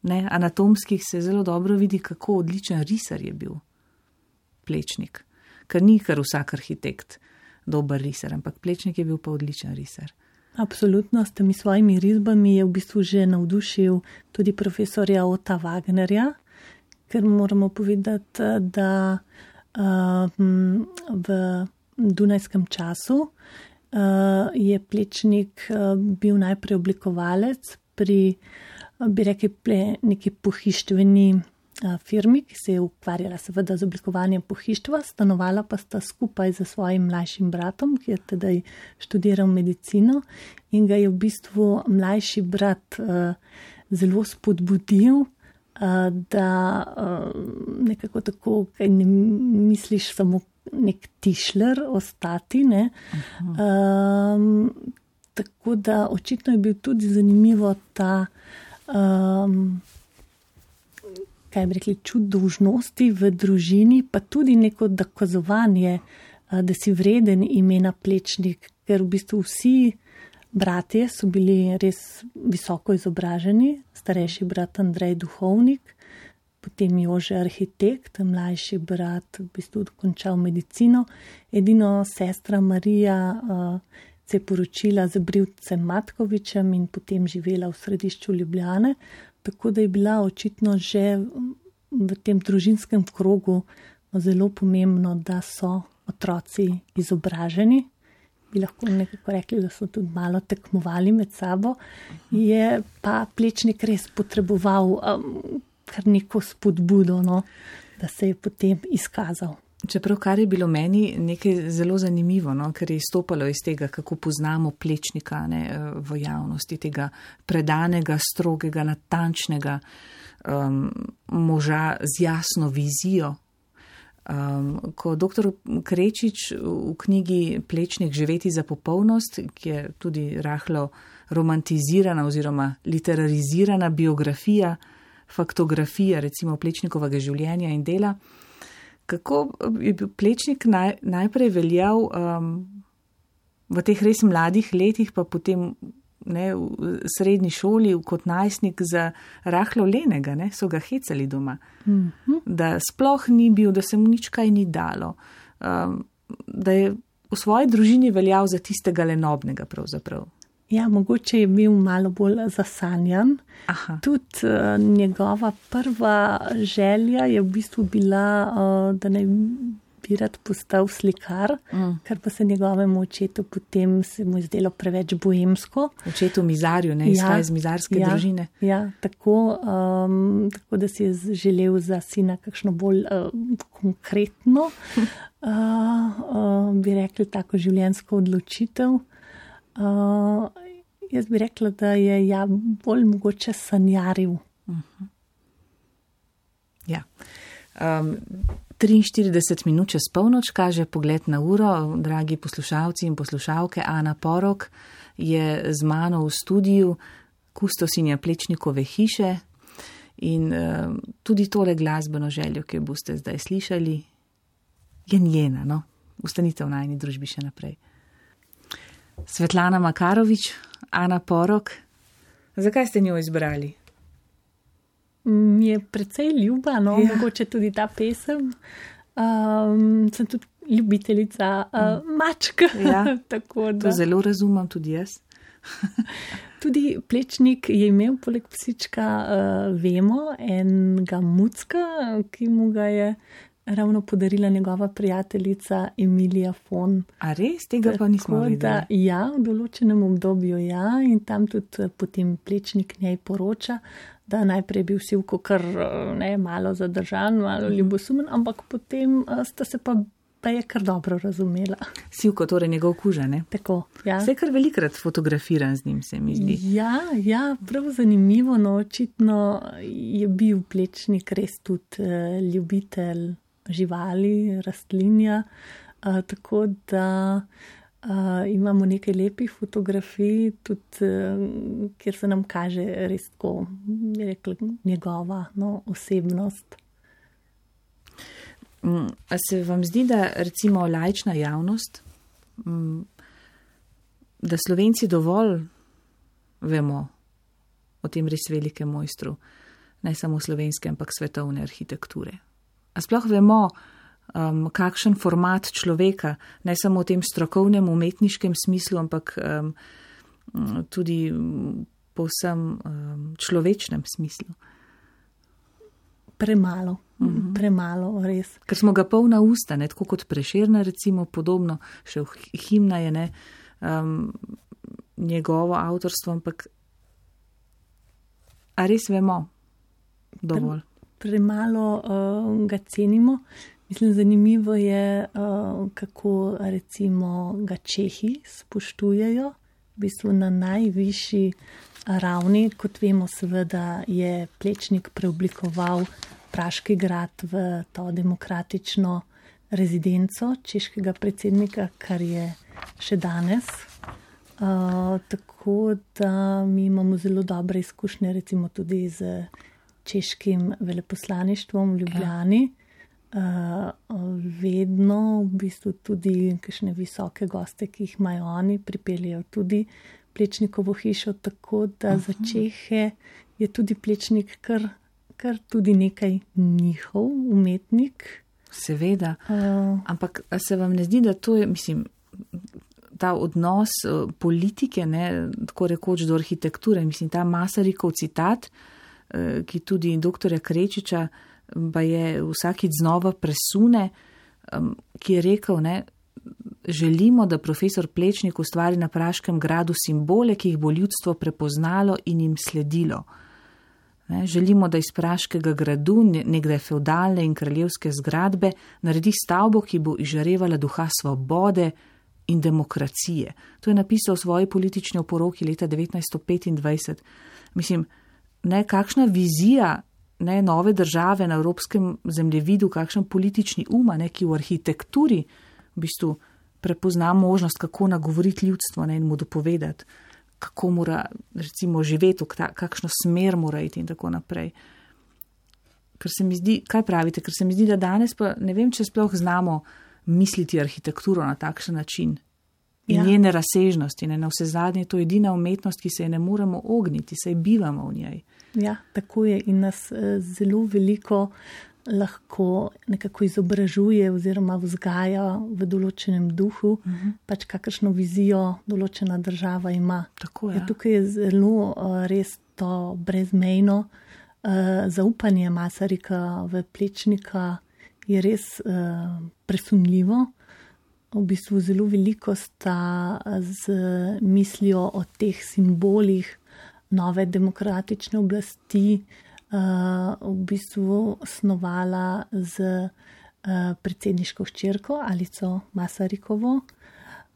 ne, anatomskih, se zelo dobro vidi, kako odličen risar je bil Plečnik. Ker ni kar vsak arhitekt dober risar, ampak Plečnik je bil pa odličen risar. Absolutno, s temi svojimi risbami je v bistvu že navdušil tudi profesorja Ota Wagnerja, ker moramo povedati, da uh, v dunajskem času uh, je Plečnik uh, bil najprej oblikovalec pri, bi rekli, neki pohištveni firmi, ki se je ukvarjala seveda z oblikovanjem pohištva, stanovala pa sta skupaj z svojim mlajšim bratom, ki je tedaj študiral medicino in ga je v bistvu mlajši brat uh, zelo spodbudil, uh, da uh, nekako tako, kaj ne misliš samo nek tišler ostati, ne. Um, tako da očitno je bil tudi zanimivo ta um, kaj bi rekli, čut dolžnosti v družini, pa tudi neko dokazovanje, da si vreden imena Plečnik, ker v bistvu vsi bratje so bili res visoko izobraženi, starejši brat Andrej duhovnik, potem Jože arhitekt, mlajši brat v bistvu dokončal medicino, edino sestra Marija uh, se je poročila z Brivcem Matkovičem in potem živela v središču Ljubljane, tako da je bila očitno že v tem družinskem krogu zelo pomembno, da so otroci izobraženi. Bi lahko nekako rekli, da so tudi malo tekmovali med sabo. Je pa Plečnik res potreboval um, kar neko spodbudo, no, da se je potem izkazal. Čeprav kar je bilo meni nekaj zelo zanimivo, no, ker je izstopalo iz tega, kako poznamo Plečnika, ne, v javnosti, tega predanega, strogega, natančnega um, moža z jasno vizijo. Um, ko doktor Krečič v knjigi Plečnik živeti za popolnost, ki je tudi rahlo romantizirana oziroma literarizirana biografija, faktografija recimo Plečnikovega življenja in dela, kako je bil Plečnik naj, najprej veljal um, v teh res mladih letih, pa potem ne, v srednji šoli kot najstnik za rahlo lenega, ne, so ga hecali doma, mm-hmm. da sploh ni bil, da se mu nič kaj ni dalo, um, da je v svoji družini veljal za tistega lenobnega pravzaprav. Ja, mogoče je bil malo bolj zasanjan. Aha. Tudi uh, njegova prva želja je v bistvu bila, uh, da naj bi rad postal slikar, mm. ker pa se njegovemu očetu potem se mu je zdelo preveč boemsko. Očetu mizarju, ne, izhaja ja, iz mizarske ja, družine. Ja, tako, um, tako da si je želel za sina kakšno bolj uh, konkretno, uh, uh, bi rekli, tako življenjsko odločitev. Uh, jaz bi rekla, da je ja bolj mogoče sanjaril. Uh-huh. Ja. Um, triinštirideset minut čez polnoč kaže pogled na uro. Dragi poslušalci in poslušalke, Ana Porok je z mano v studiu, kustosinja Plečnikove hiše in um, tudi tole glasbeno željo, ki jo boste zdaj slišali, je njena, no? Ostanite v najini družbi še naprej. Svetlana Makarovič, Ana Porok, zakaj ste njo izbrali? Mi je precej ljuba, no, ja. Mogoče tudi ta pesem. Um, sem tudi ljubiteljica uh, mačk. Ja. Tako da. To zelo razumem tudi jaz. Tudi Plečnik je imel poleg psička, uh, vemo, enega mucka, ki mu ga je ravno podarila njegova prijateljica Emilija Fon. A res? Tega pa nismo videli. Ja, v določenem obdobju ja, in tam tudi potem Plečnik njej poroča, da najprej bil Sivko kar ne, malo zadržan, malo ljubosumen, ampak potem sta se pa, pa je kar dobro razumela. Sivko, torej njegov kuža, ne? Tako, ja. Se kar velikrat fotografiran z njim, se mi zdi. Ja, ja, prav zanimivo, no, očitno je bil Plečnik res tudi uh, ljubitelj živali, rastlinja, uh, tako da uh, imamo nekaj lepih fotografij, tudi uh, kjer se nam kaže res tako, bi rekla, njegova no, osebnost. A se vam zdi, da recimo laična javnost, da Slovenci dovolj vemo o tem res velikem mojstru, ne samo slovenske, ampak svetovne arhitekture? A sploh vemo, um, kakšen format človeka, ne samo v tem strokovnem, umetniškem smislu, ampak um, tudi povsem um, človečnem smislu? Premalo, mm-hmm. premalo, res. Ker smo ga polna usta, ne, tako kot Prešerna, recimo, podobno, še v himna je ne, um, njegovo avtorstvo, ampak a res vemo dovolj? Pre- premalo uh, ga cenimo. Mislim, zanimivo je, uh, kako recimo ga Čehi spoštujejo, v bistvu na najvišji ravni. Kot vemo, seveda je Plečnik preoblikoval Praški grad v to demokratično rezidenco češkega predsednika, kar je še danes. Uh, tako da mi imamo zelo dobre izkušnje recimo tudi z češkim veleposlaništvom v Ljubljani. Ja. Uh, vedno v bistvu tudi kakšne visoke goste, ki jih imajo oni, pripeljejo tudi Plečnikovo hišo, tako da uh-huh. za Čehe je tudi Plečnik kar, kar tudi nekaj njihov umetnik. Seveda, uh, ampak se vam ne zdi, da to je, mislim, ta odnos uh, politike, ne, tako rekoč do arhitekture, mislim, ta Masarikov citat, uh, ki tudi doktorja Krečiča pa je vsakič znova presune, um, ki je rekel, ne, želimo, da profesor Plečnik ustvari na Praškem gradu simbole, ki jih bo ljudstvo prepoznalo in jim sledilo. Ne, želimo, da iz praškega gradu, nekdaj feudalne in kraljevske zgradbe, naredi stavbo, ki bo izžarevala duha svobode in demokracije. To je napisal v svoji politični oporoki leta devetnajststo petindvajset. Mislim, ne, kakšna vizija ne, nove države na evropskem zemljevidu, kakšen politični uma, ne, ki v arhitekturi v bistvu prepozna možnost, kako nagovoriti ljudstvo, ne, in mu dopovedati, kako mora recimo živeti, kakšno smer mora iti in tako naprej. Ker se mi zdi, kaj pravite, ker se mi zdi, da danes pa ne vem, če sploh znamo misliti arhitekturo na takšen način in ja. njene razsežnosti. Ne, na vse zadnje, to je edina umetnost, ki se je ne moremo ogniti, saj bivamo v njej. Ja, tako je in nas eh, zelo veliko lahko nekako izobražuje oziroma vzgaja v določenem duhu, uh-huh. pač kakršno vizijo določena država ima. Tako je. Ja, tukaj je zelo uh, res to brezmejno uh, zaupanje Masarika v Plečnika je res uh, presunljivo. V bistvu zelo veliko sta z mislijo o teh simbolih nove demokratične oblasti Uh, v bistvu snovala z uh, predsedniško hčerko Alico Masarikovo,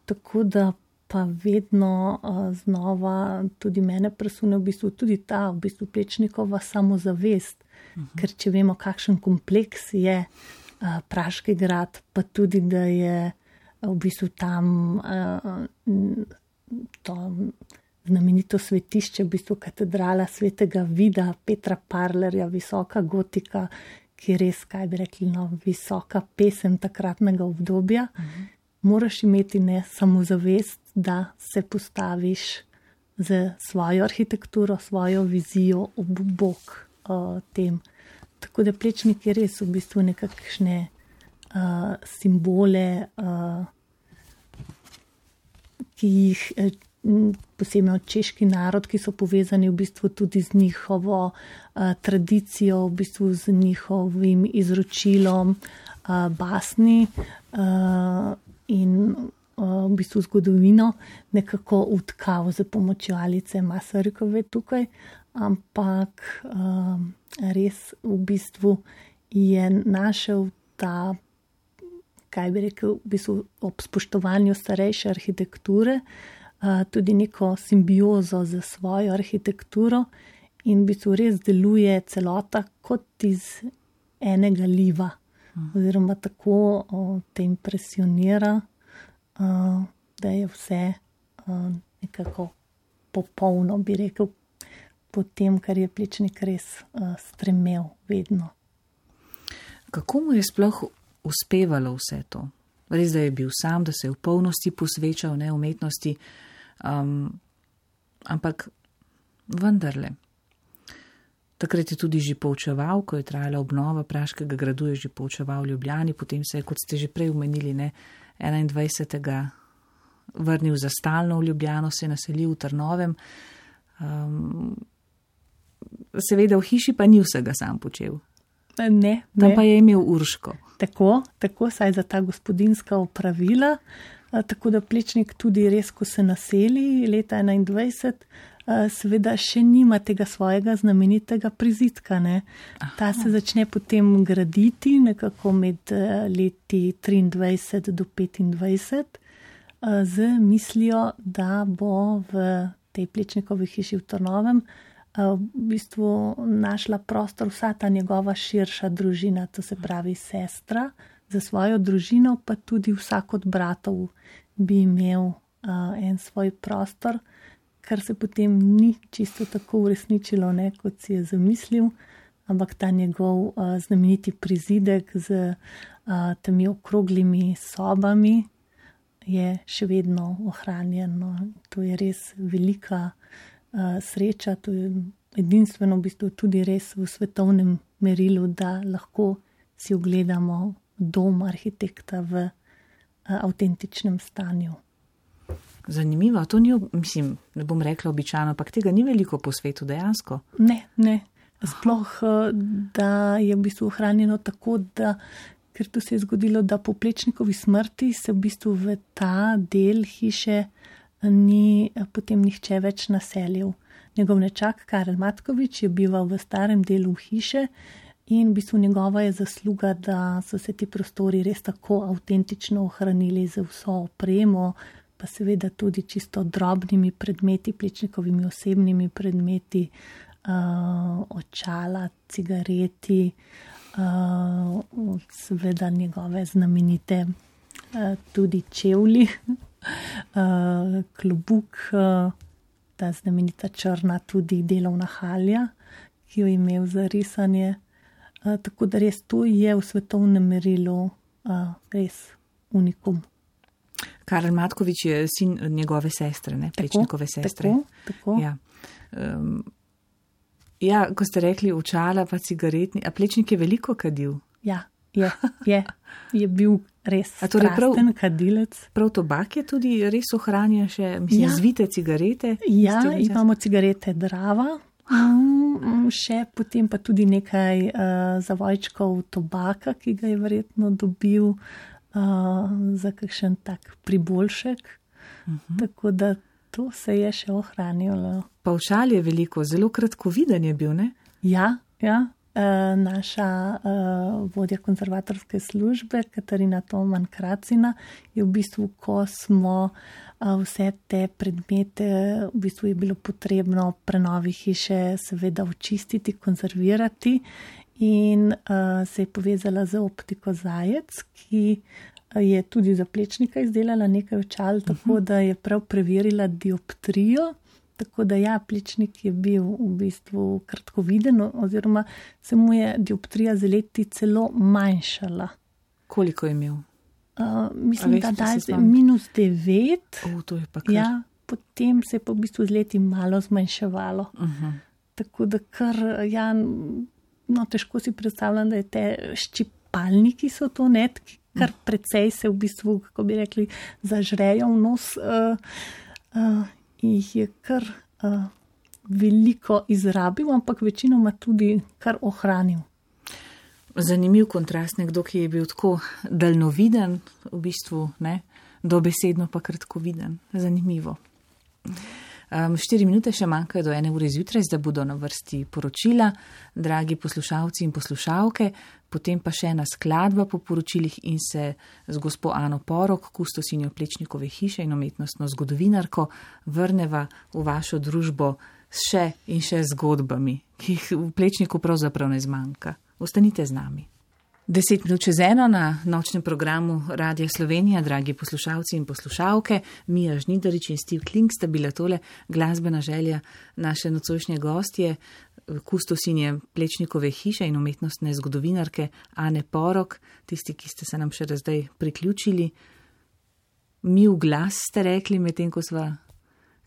tako da pa vedno uh, znova tudi mene presune v bistvu tudi ta v bistvu Plečnikova samozavest, uh-huh. ker če vemo, kakšen kompleks je uh, Praški grad, pa tudi, da je v bistvu tam uh, to znamenito svetišče, v bistvu katedrala svetega Vida, Petra Parlerja, visoka gotika, ki je res, kaj bi rekli, no, visoka pesem takratnega obdobja. Uh-huh. Moraš imeti ne samozavest, da se postaviš z svojo arhitekturo, svojo vizijo ob bok uh, tem. Tako da Plečnik je res v bistvu nekakšne uh, simbole, uh, ki jih uh, posebno češki narod, ki so povezani v bistvu tudi z njihovo uh, tradicijo, v bistvu z njihovim izročilom uh, basni uh, in uh, v bistvu zgodovino nekako utkal z pomočjo Alice Masarikove tukaj, ampak uh, res v bistvu je našel ta, kaj bi rekel, v bistvu ob spoštovanju starejše arhitekture, Uh, tudi neko simbiozo z svojo arhitekturo in v bistvu res deluje celota kot iz enega liva. Hmm. Oziroma tako uh, te impresionira, uh, da je vse uh, nekako popolno, bi rekel, po tem, kar je Plečnik res uh, stremel vedno. Kako mu je sploh uspevalo vse to? Res, da je bil sam, da se je v polnosti posvečal ne, umetnosti, um, ampak vendarle. Takrat je tudi že poučeval, ko je trajala obnova Praškega gradu, je že poučeval v Ljubljani, potem se je, kot ste že prej omenili, ne, enaindvajsetega vrnil za stalno v Ljubljano, se je naselil v Trnovem. Um, seveda v hiši pa ni vsega sam počel. Ne, tam ne. Pa je imel Urško. Tako, tako, saj za ta gospodinska opravila, a, tako da Plečnik tudi res, ko se naseli leta enaindvajset, a, seveda še nima tega svojega znamenitega prizidka. Ne. Ta se začne potem graditi nekako med a, leti triindvajset do petindvajset a, z mislijo, da bo v tej Plečnikovi hiši v Trnovem v bistvu našla prostor vsa ta njegova širša družina, to se pravi sestra, za svojo družino, pa tudi vsak od bratov bi imel uh, en svoj prostor, kar se potem ni čisto tako uresničilo, ne, kot si je zamislil, ampak ta njegov uh, znameniti prizidek z uh, temi okroglimi sobami je še vedno ohranjen. No. To je res velika Uh, sreča, to je edinstveno v bistvu tudi res v svetovnem merilu, da lahko si ogledamo dom arhitekta v uh, avtentičnem stanju. Zanimivo, to ni, mislim, ne bom rekla običajno, ampak tega ni veliko po svetu dejansko. Ne, ne. Sploh, uh, da je v bistvu ohranjeno tako, da, ker to se je zgodilo, da po Plečnikovi smrti se v bistvu v ta del hiše ni potem nihče več naselil. njegov nečak Karel Matkovič je bival v starem delu hiše in v bistvu njegova je zasluga, da so se ti prostori res tako avtentično ohranili z vso opremo, pa seveda tudi čisto drobnimi predmeti, Plečnikovimi osebnimi predmeti, uh, očala, cigareti, uh, seveda njegove znamenite uh, tudi čevlji, uh, klobuk, uh, ta znamenita črna tudi delovna halja, ki jo je imel za risanje. Uh, tako da res to je v svetovnem merilu uh, res unikum. Karel Matkovič je sin njegove sestre, ne? Plečnikove sestre. Tako, tako. Ja. Um, ja, ko ste rekli očala pa cigaretni, a Plečnik je veliko kadil? Ja, je, je, je bil res torej strasten kadilec. Prav tobak je tudi res ohranja še, mislim, ja. Zvite cigarete? Ja, imamo cigarete Drava, um, še potem pa tudi nekaj uh, zavojčkov tobaka, ki ga je verjetno dobil uh, za kakšen tak priboljšek. Uh-huh. Tako da to se je še ohranjalo. Pa očal je veliko, zelo kratkoviden je bil, ne? Ja, ja. Uh, naša uh, vodja konzervatorske službe, Katarina Toman Kracina, je v bistvu, ko smo uh, vse te predmete, v bistvu je bilo potrebno prenovi hiše seveda očistiti, konzervirati in uh, se je povezala z optiko Zajec, ki je tudi za Plečnika izdelala nekaj očal, uh-huh. tako da je prav preverila dioptrijo. Tako da ja, Plečnik je bil v bistvu kratkoviden oziroma se mu je dioptrija z leti celo manjšala. Koliko je imel? Uh, mislim, veš, da je minus devet. O, to je pa kar. Ja, potem se je pa v bistvu z leti malo zmanjševalo. Uh-huh. Tako da kar, ja, no težko si predstavljam, da je te ščipalniki so to, ne, kar precej se v bistvu, kako bi rekli, zažrejo v nos. Uh, uh, jih je kar uh, veliko izrabil, ampak večinoma tudi kar ohranil. Zanimiv kontrast, nekdo, ki je bil tako daljnoviden, v bistvu, ne, dobesedno pa kratkoviden. Zanimivo. Um, štiri minute še manjkajo do ene ure zjutraj, zdaj bodo na vrsti poročila, dragi poslušalci in poslušalke, potem pa še ena skladba po poročilih in se z gospo Ano Porok, kustosinjo Plečnikove hiše in umetnostno zgodovinarko, vrneva v vašo družbo s še in še zgodbami, ki jih v Plečniku pravzaprav ne zmanjka. Ostanite z nami. Deset minut čez eno na nočnem programu Radia Slovenija, dragi poslušalci in poslušalke, Mija Žnidarič in Steve Kling sta bila tole glasbena želja naše nocojšnje gostje, kustosinje Plečnikove hiše in umetnostne zgodovinarke Ane Porok, tisti, ki ste se nam še zdaj priključili. Mi v glas ste rekli, medtem ko sva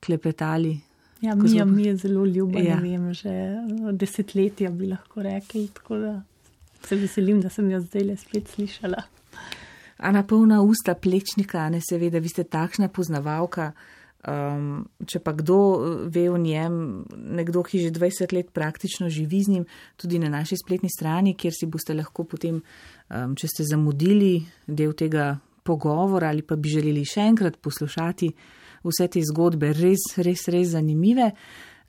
klepetali. Ja, Mija mi je zelo ljuba, ja. Ne vem, že desetletja bi lahko rekli, tako da se veselim, da sem jo zdaj le spet slišala. Ana, polna usta Plečnika, ne seveda, vi ste takšna poznavalka, um, če pa kdo ve o njem, nekdo, ki že dvajset let praktično živi z njim, tudi na naši spletni strani, kjer si boste lahko potem, um, če ste zamudili del tega pogovora ali pa bi želeli še enkrat poslušati vse te zgodbe, res, res, res zanimive.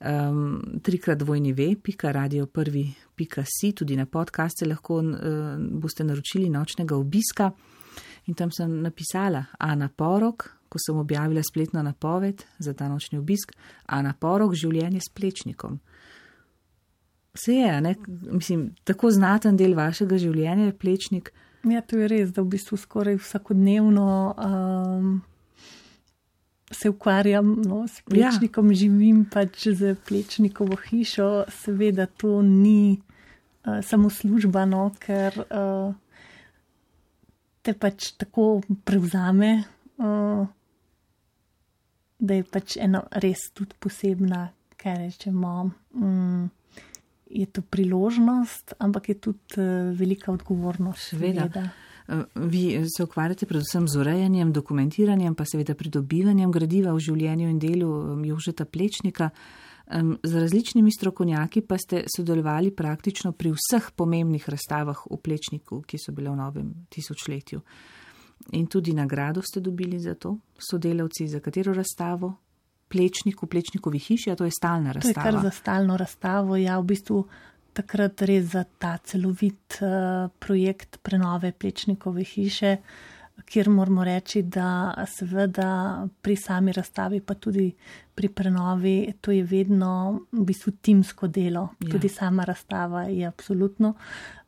Um, trikrat dvojni ve, pika radio prvi, pika si, tudi na podcaste lahko uh, boste naročili nočnega obiska. In tam sem napisala Ana Porok, ko sem objavila spletno napoved za ta nočni obisk, Ana Porok, življenje s Plečnikom. Vse je, ne? Mislim, tako znaten del vašega življenja je Plečnik. Ja, to je res, da v bistvu skoraj vsakodnevno um, se ukvarjam, no, s Plečnikom, ja. Živim pač z Plečnikovo hišo, seveda to ni uh, samo služba, no, ker uh, te pač tako prevzame, uh, da je pač ena res tudi posebna, kaj rečemo, um, je to priložnost, ampak je tudi uh, velika odgovornost. Seveda. seveda. Vi se ukvarjate predvsem z urejanjem, dokumentiranjem, pa seveda pridobivanjem gradiva v življenju in delu Jožeta Plečnika. Z različnimi strokovnjaki pa ste sodelovali praktično pri vseh pomembnih razstavah v Plečniku, ki so bile v novem tisočletju. In tudi nagrado ste dobili za to, sodelavci, za katero razstavo? Plečnik v Plečnikovi hiši, a to je stalna razstava? To je kar za stalno razstavo, ja, v bistvu takrat res za ta celovit uh, projekt prenove Plečnikove hiše, kjer moramo reči, da seveda pri sami razstavi, pa tudi pri prenovi, to je vedno v bistvu timsko delo. Ja. Tudi sama razstava je absolutno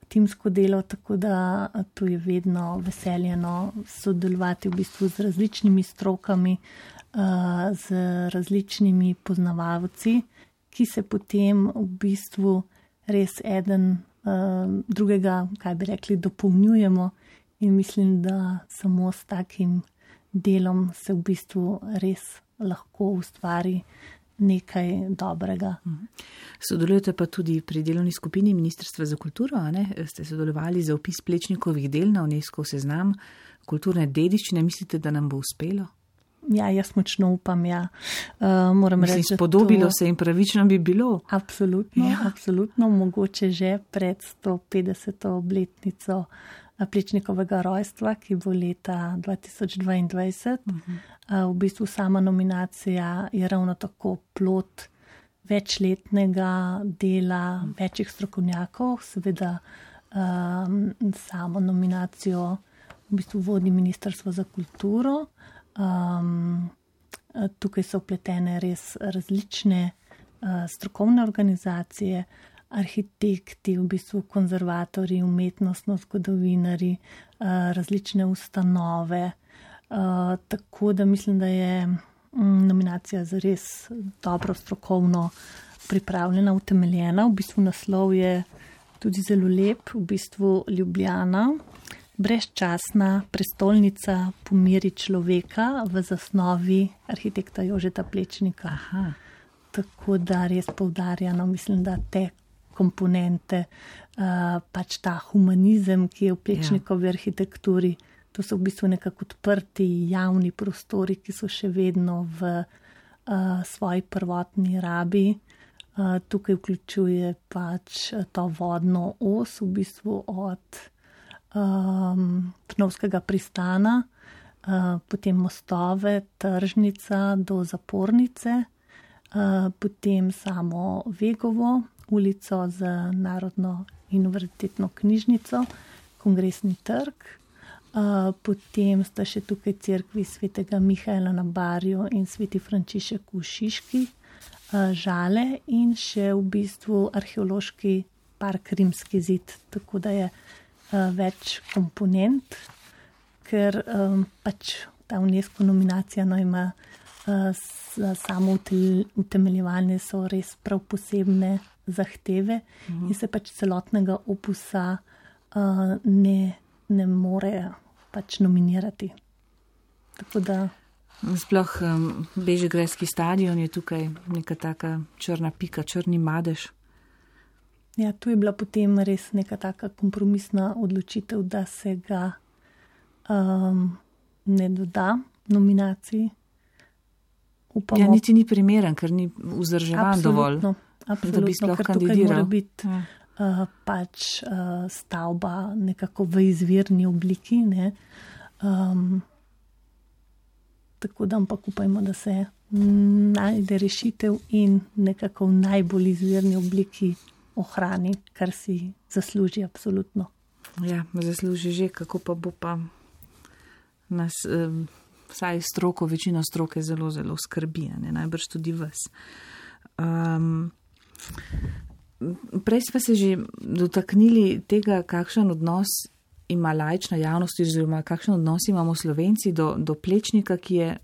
timsko delo, tako da to je vedno veseljeno sodelovati v bistvu z različnimi strokami, z različnimi poznavalci, ki se potem v bistvu res eden drugega, kaj bi rekli, dopolnjujemo in mislim, da samo s takim delom se v bistvu res lahko ustvari nekaj dobrega. Sodelujete pa tudi pri delovni skupini Ministrstva za kulturo, a ne? Ste sodelovali za vpis Plečnikovih del na UNESCO seznam kulturne dediščine. Mislite, da nam bo uspelo? Ja, jaz močno upam, ja. Uh, moram Mislim, reči, spodobilo to... se in pravično bi bilo. Absolutno, ja. absolutno. Mogoče že pred sto petdeseto obletnico Plečnikovega rojstva, ki bo leta dva tisoč dvaindvajset. Uh-huh. Uh, v bistvu sama nominacija je ravno tako plod večletnega dela uh-huh. večjih strokovnjakov. Seveda um, samo nominacijo v bistvu vodi Ministrstvo za kulturo. Um, tukaj so vpletene res različne uh, strokovne organizacije, arhitekti, v bistvu konzervatorji, umetnostno zgodovinari, uh, različne ustanove. Uh, tako da mislim, da je um, nominacija za res dobro strokovno pripravljena, utemeljena. V bistvu naslov je tudi zelo lep, v bistvu Ljubljana. Brezčasna prestolnica po meri človeka v zasnovi arhitekta Jožeta Plečnika. Aha. Tako da res poudarjano, mislim, da te komponente, uh, pač ta humanizem, ki je v Plečnikovi ja. arhitekturi, to so v bistvu nekako odprti javni prostori, ki so še vedno v uh, svoji prvotni rabi. Uh, tukaj vključuje pač to vodno os, v bistvu od Um, Trnovskega pristana, uh, potem mostove, tržnica do zapornice, uh, potem samo Vegovo, ulico z Narodno in univerzitetno knjižnico, Kongresni trg, uh, potem sta še tukaj cerkvi svetega Mihaela na Barju in sveti Frančišek v Šiški, uh, Žale in še v bistvu arheološki park Rimski zid, tako da je več komponent, ker um, pač ta UNESCO nominacija no, ima uh, samo utemeljevanje so res prav posebne zahteve mhm. in se pač celotnega opusa uh, ne, ne more pač nominirati. Tako da... Sploh um, Bežigrajski stadion je tukaj neka taka črna pika, črni madež. Ja, tu je bila potem res neka taka kompromisna odločitev, da se ga um, ne doda nominaciji. Upamo. Ja, niti ni primeren, ker ni vzdrževan dovolj, absolutno, da bi sploh ker kandidiral. Tukaj mora biti ja. uh, pač uh, stavba nekako v izvirni obliki. Ne? Um, tako da ampak upajmo, da se najde rešitev in nekako v najbolj izvirni obliki ohrani, kar si zasluži absolutno. Ja, zasluži že, kako pa bo pa nas, eh, vsaj stroko, večino stroke zelo, zelo skrbi, ne, najbrž tudi vas. Um, prej smo se že dotaknili tega, kakšen odnos ima laična javnost, oziroma kakšen odnos imamo Slovenci do, do Plečnika, ki je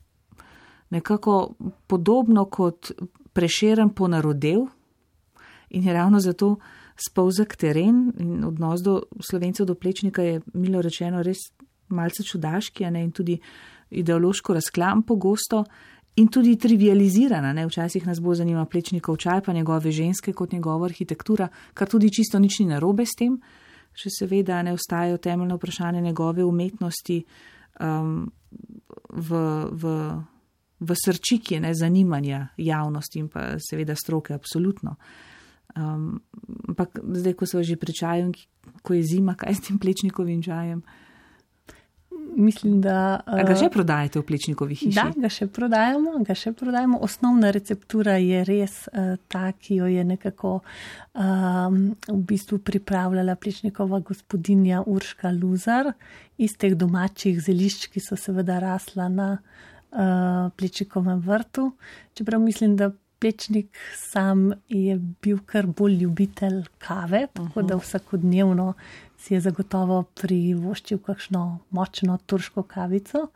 nekako podobno kot Prešeren ponarodel, in je ravno zato spolzak teren in odnos do Slovencev do Plečnika je, milo rečeno, res malce čudaški, ne, in tudi ideološko razklam pogosto in tudi trivializirana. Ne. Včasih nas bo zanima Plečnikov čaj, pa njegove ženske kot njegova arhitektura, kar tudi čisto nič ni narobe s tem, še seveda ne ostajajo temeljno vprašanje njegove umetnosti um, v, v, v srčiki ne, zanimanja javnosti in pa seveda stroke, absolutno. Um, ampak zdaj, ko so že pri čaju, ko je zima, kaj s tem Plečnikovim čajem? mislim, da... A ga še prodajate v Plečnikovi hiši? Da, ga še prodajamo, ga še prodajamo. Osnovna receptura je res uh, ta, ki jo je nekako um, v bistvu pripravljala Plečnikova gospodinja Urška Luzar iz teh domačih zelišč, ki so seveda rasla na uh, Plečnikovem vrtu. Čeprav mislim, da Plečnik sam je bil kar bolj ljubitelj kave, tako da vsakodnevno si je zagotovo privoščil kakšno močno turško kavico,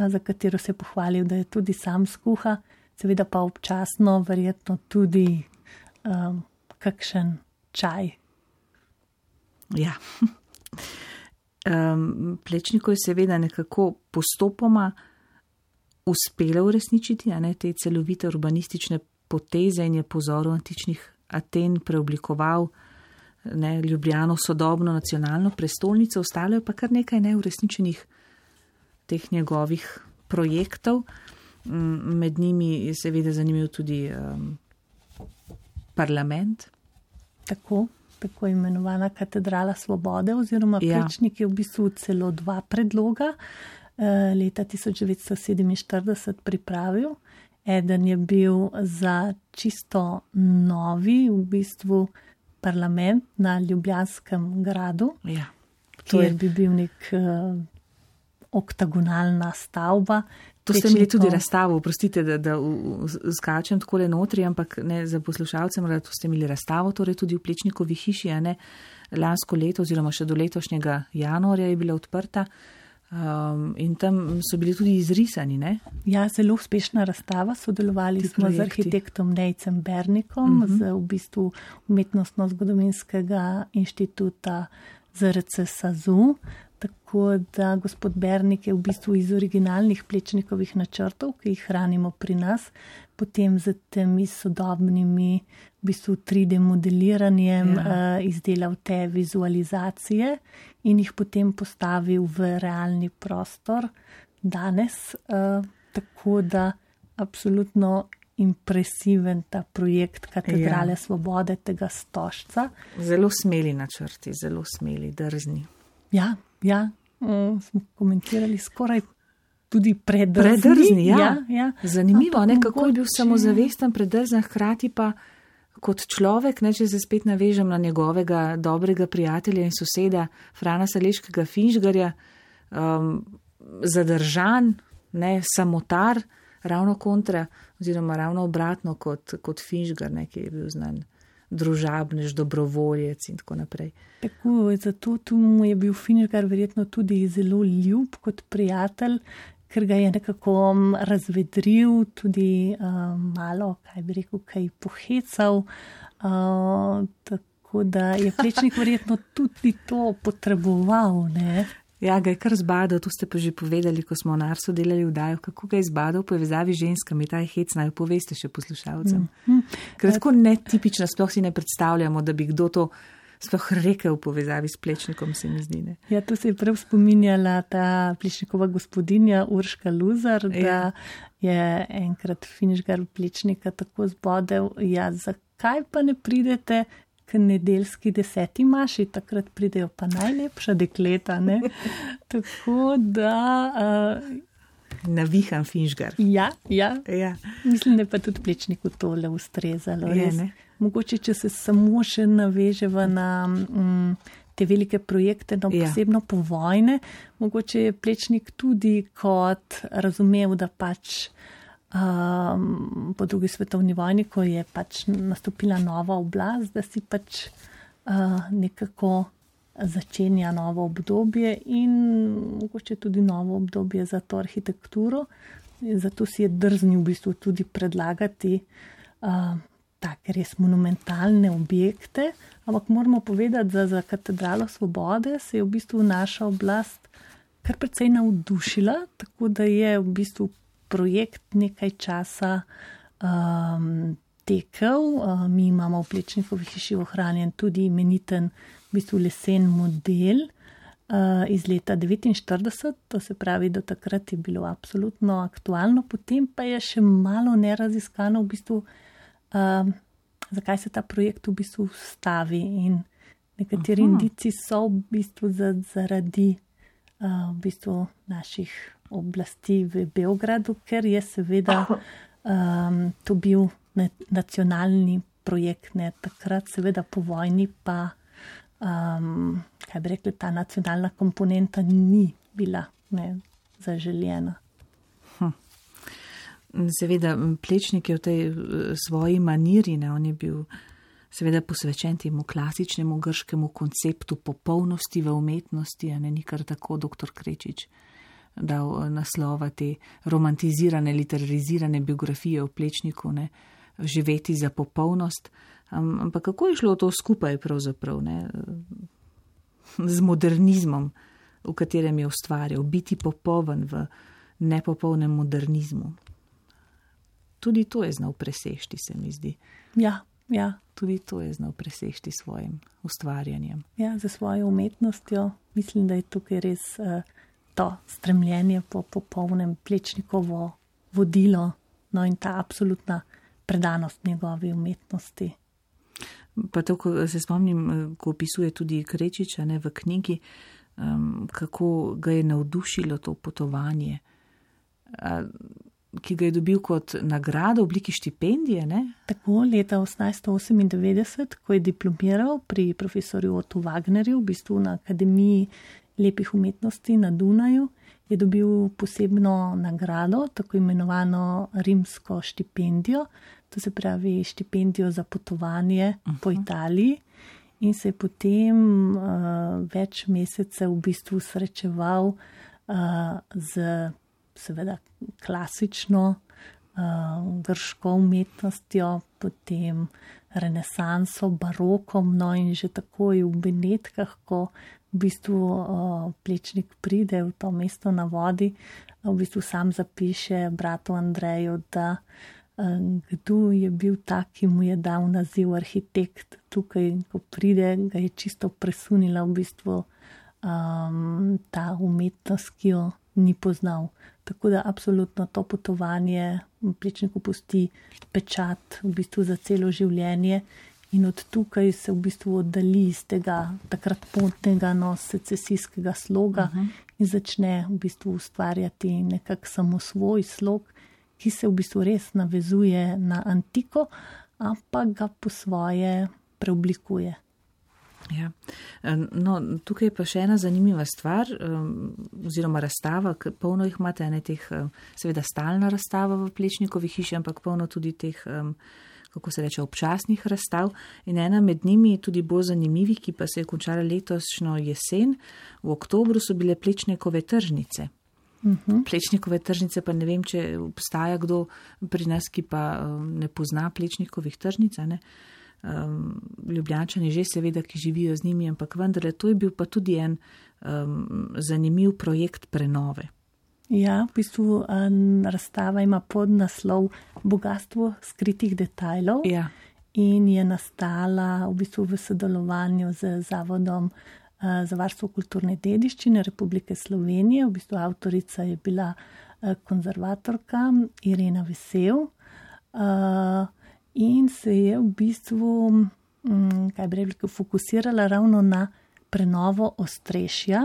za katero se je pohvalil, da je tudi sam skuha, seveda pa občasno verjetno tudi um, kakšen čaj. Ja. Um, Plečniku je seveda nekako postopoma uspelo uresničiti, a ne, te celovite urbanistične poteze in je po vzoru antičnih Aten preoblikoval ne, Ljubljano sodobno nacionalno prestolnico, ostalo je pa kar nekaj neuresničenih teh njegovih projektov. Med njimi je seveda zanimiv tudi um, parlament. Tako, tako imenovana katedrala svobode oziroma ja. Plečnik je v bistvu celo dva predloga leta tisoč devetsto sedeminštirideset pripravil. Eden je bil za čisto novi v bistvu parlament na Ljubljanskem gradu, ja, kjer bi bil nek uh, oktagonalna stavba. To ste imeli tudi razstavo, prostite, da, da skačem takole notri, ampak ne za poslušalcem, da to ste imeli razstavo, torej tudi v Plečnikovi hiši, a ne lansko leto oziroma še do letošnjega januarja je bila odprta. Um, in tam so bili tudi izrisani, ne? Ja, zelo uspešna razstava. Sodelovali Ti smo projekti. z arhitektom Nejcem Bernikom, uh-huh. z v bistvu Umetnostno-zgodovinskega inštituta Z R C SAZU. Tako da gospod Bernik je v bistvu iz originalnih Plečnikovih načrtov, ki jih hranimo pri nas, potem z temi sodobnimi v bistvu tri D modeliranjem ja. uh, izdelal te vizualizacije in jih potem postavil v realni prostor danes. Uh, tako da absolutno impresiven ta projekt Katedrale ja. svobode, tega stožca. Zelo smeli načrti, zelo smeli, drzni. Ja, ja, um, smo komentirali skoraj tudi predrzni. Predrzni, ja. ja, ja. Zanimivo, ne, kako je bil mogoče... samozavesten, predrzen, hkrati pa kot človek, ne, če se spet navežem na njegovega dobrega prijatelja in soseda Frana Saleškega Finžgarja, um, zadržan, ne, samotar, ravno kontra, oziroma ravno obratno kot, kot Finžgar, ne, ki je bil znan družabnež, dobrovoljec in tako naprej. Tako, zato tu mu je bil Finžgar verjetno tudi zelo ljub kot prijatelj, ker ga je nekako razvedril, tudi uh, malo, kaj bi rekel, kaj pohecal, uh, tako da je Plečnik verjetno tudi to potreboval, ne? Ja, ga je kar zbadal, to ste pa že povedali, ko smo na Arsu delali vdajo, kako ga je zbadal v povezavi z ženskami, ta je hec, naj poveste še poslušalcem. Mm. Ker tako netipično, sploh si ne predstavljamo, da bi kdo to sploh rekel v povezavi s Plečnikom, se mi zdi. Ne? Ja, to se je prav spominjala ta Plečnikova gospodinja Urška Luzar, da ja. je enkrat Finžgar Plečnika tako zbodel, ja, zakaj pa ne pridete k nedeljski deseti maši, takrat pridejo pa najlepša dekleta, ne? Tako da... Uh, Navihan Finžgar. Ja, ja, ja. Mislim, da pa tudi Plečniku tole ustrezalo. Je, ne? Mogoče, če se samo še naveževa na um, te velike projekte, no, ja. posebno po vojne, mogoče je Plečnik tudi kot razumel, da pač Um, po drugi svetovni vojni, ko je pač nastopila nova oblast, da si pač uh, nekako začenja novo obdobje in mogoče tudi novo obdobje za to arhitekturo. Zato si je drznil v bistvu tudi predlagati uh, take res monumentalne objekte, ampak moramo povedati, da za Katedralo svobode se je v bistvu naša oblast kar precej navdušila, tako da je v bistvu projekt nekaj časa um, tekel. Uh, mi imamo v Plečnikovi hiši ohranjen tudi imeniten v bistvu lesen model uh, iz leta devetinštirideset, to se pravi, do takrat je bilo absolutno aktualno, potem pa je še malo neraziskano v bistvu, uh, zakaj se ta projekt v bistvu stavi in nekateri Aha. indici so v bistvu zaradi v bistvu naših oblasti v Beogradu, ker je seveda um, to bil nacionalni projekt, ne takrat seveda po vojni pa, um, kaj bi rekli, ta nacionalna komponenta ni bila ne, zaželjena. Hm. Seveda Plečnik je v tej svoji maniri, ne, on je bil seveda posvečen temu klasičnemu grškemu konceptu popolnosti v umetnosti, a ne ni kar tako doktor Krečič dal naslova te romantizirane, literarizirane biografije o Plečniku, ne, živeti za popolnost. Ampak kako je šlo to skupaj pravzaprav, ne, z modernizmom, v katerem je ustvarjal, biti popoln v nepopolnem modernizmu. Tudi to je znal presešti, se mi zdi. Ja, ja. Tudi to je znal presešti svojim ustvarjanjem. Ja, za svojo umetnostjo. Mislim, da je tukaj res uh, to stremljenje po popolnem Plečnikovo vodilo, no in ta absolutna predanost njegovi umetnosti. Pa to, ko se spomnim, ko opisuje tudi Krečiča, ne, v knjigi, um, kako ga je navdušilo to potovanje, a, ki ga je dobil kot nagrado v obliki štipendije, ne? Tako, leta osemnajststo osemindevetdeset, ko je diplomiral pri profesorju Ottu Wagnerju, v bistvu na Akademiji lepih umetnosti na Dunaju, je dobil posebno nagrado, tako imenovano rimsko štipendijo, to se pravi štipendijo za potovanje uh-huh. po Italiji, in se je potem uh, več mesecev v bistvu srečeval uh, z seveda klasično uh, grško umetnostjo, potem renesanso, barokom, no in že takoj v Benetkah, ko v bistvu uh, Plečnik pride v to mesto na vodi, v bistvu sam zapiše bratu Andreju, da uh, kdo je bil tak, ki mu je dal naziv arhitekt. Tukaj, ko pride, ga je čisto presunila v bistvu um, ta umetnost, ki jo ni poznal. Tako da absolutno to potovanje Plečniku pusti pečat v bistvu za celo življenje in od tukaj se v bistvu oddali iz tega takrat potnega, no, secesijskega sloga uh-huh. in začne v bistvu ustvarjati nekak samo svoj slog, ki se v bistvu res navezuje na antiko, ampak ga po svoje preoblikuje. Ja. No, tukaj je pa še ena zanimiva stvar, oziroma razstava, polno jih imate, ne teh, seveda stalna razstava v Plečnikovi hiši, ampak polno tudi teh, kako se reče, občasnih razstav. In ena med njimi, tudi bolj zanimivi, ki pa se je končala letošnjo jesen, v oktobru so bile Plečnikove tržnice. Uh-huh. Plečnikove tržnice, pa ne vem, če obstaja kdo pri nas, ki pa ne pozna Plečnikovih tržnic, ne? Um, Ljubljančani že seveda, ki živijo z njimi, ampak vendarle to je bil pa tudi en um, zanimiv projekt prenove. Ja, v bistvu um, razstava ima podnaslov Bogastvo skritih detajlov ja. in je nastala v bistvu v sodelovanju z Zavodom uh, za varstvo kulturne dediščine Republike Slovenije. V bistvu avtorica je bila uh, konzervatorka Irena Vesel. Uh, In se je v bistvu, kaj bi rekli, fokusirala ravno na prenovo ostrešja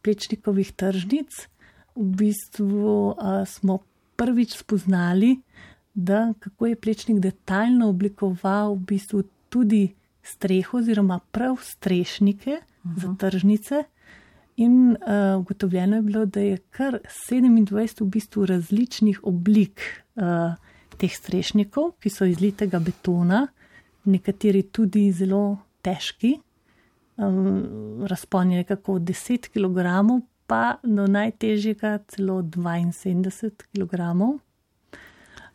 Plečnikovih tržnic. V bistvu a, smo prvič spoznali, da kako je Plečnik detaljno oblikoval v bistvu tudi streho oziroma prav strešnike uh-huh. za tržnice. In a, ugotovljeno je bilo, da je kar sedemindvajset v bistvu različnih oblik a, teh strešnikov, ki so iz litega betona, nekateri tudi zelo težki, um, razpon je nekako deset kilogramov, pa do najtežjega celo dvainsedemdeset kilogramov.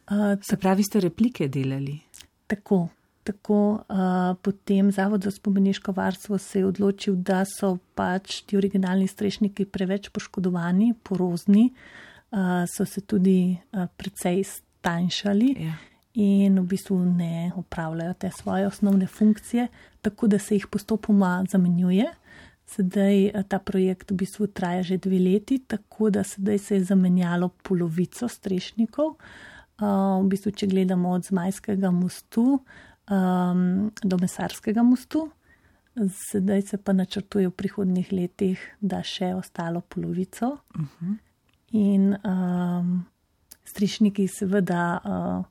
Uh, Se pravi, ste replike delali? Tako, tako uh, potem Zavod za spomeniško varstvo se je odločil, da so pač ti originalni strešniki preveč poškodovani, porozni, uh, so se tudi uh, precej tanjšali ja. in v bistvu ne opravljajo te svoje osnovne funkcije, tako da se jih postopoma zamenjuje. Sedaj ta projekt v bistvu traja že dve leti, tako da sedaj se je zamenjalo polovico strešnikov. Uh, v bistvu, če gledamo od Zmajskega mostu um, do Mesarskega mostu, Sedaj se pa načrtuje v prihodnjih letih, da še ostalo polovico. Uh-huh. In um, strišniki seveda uh,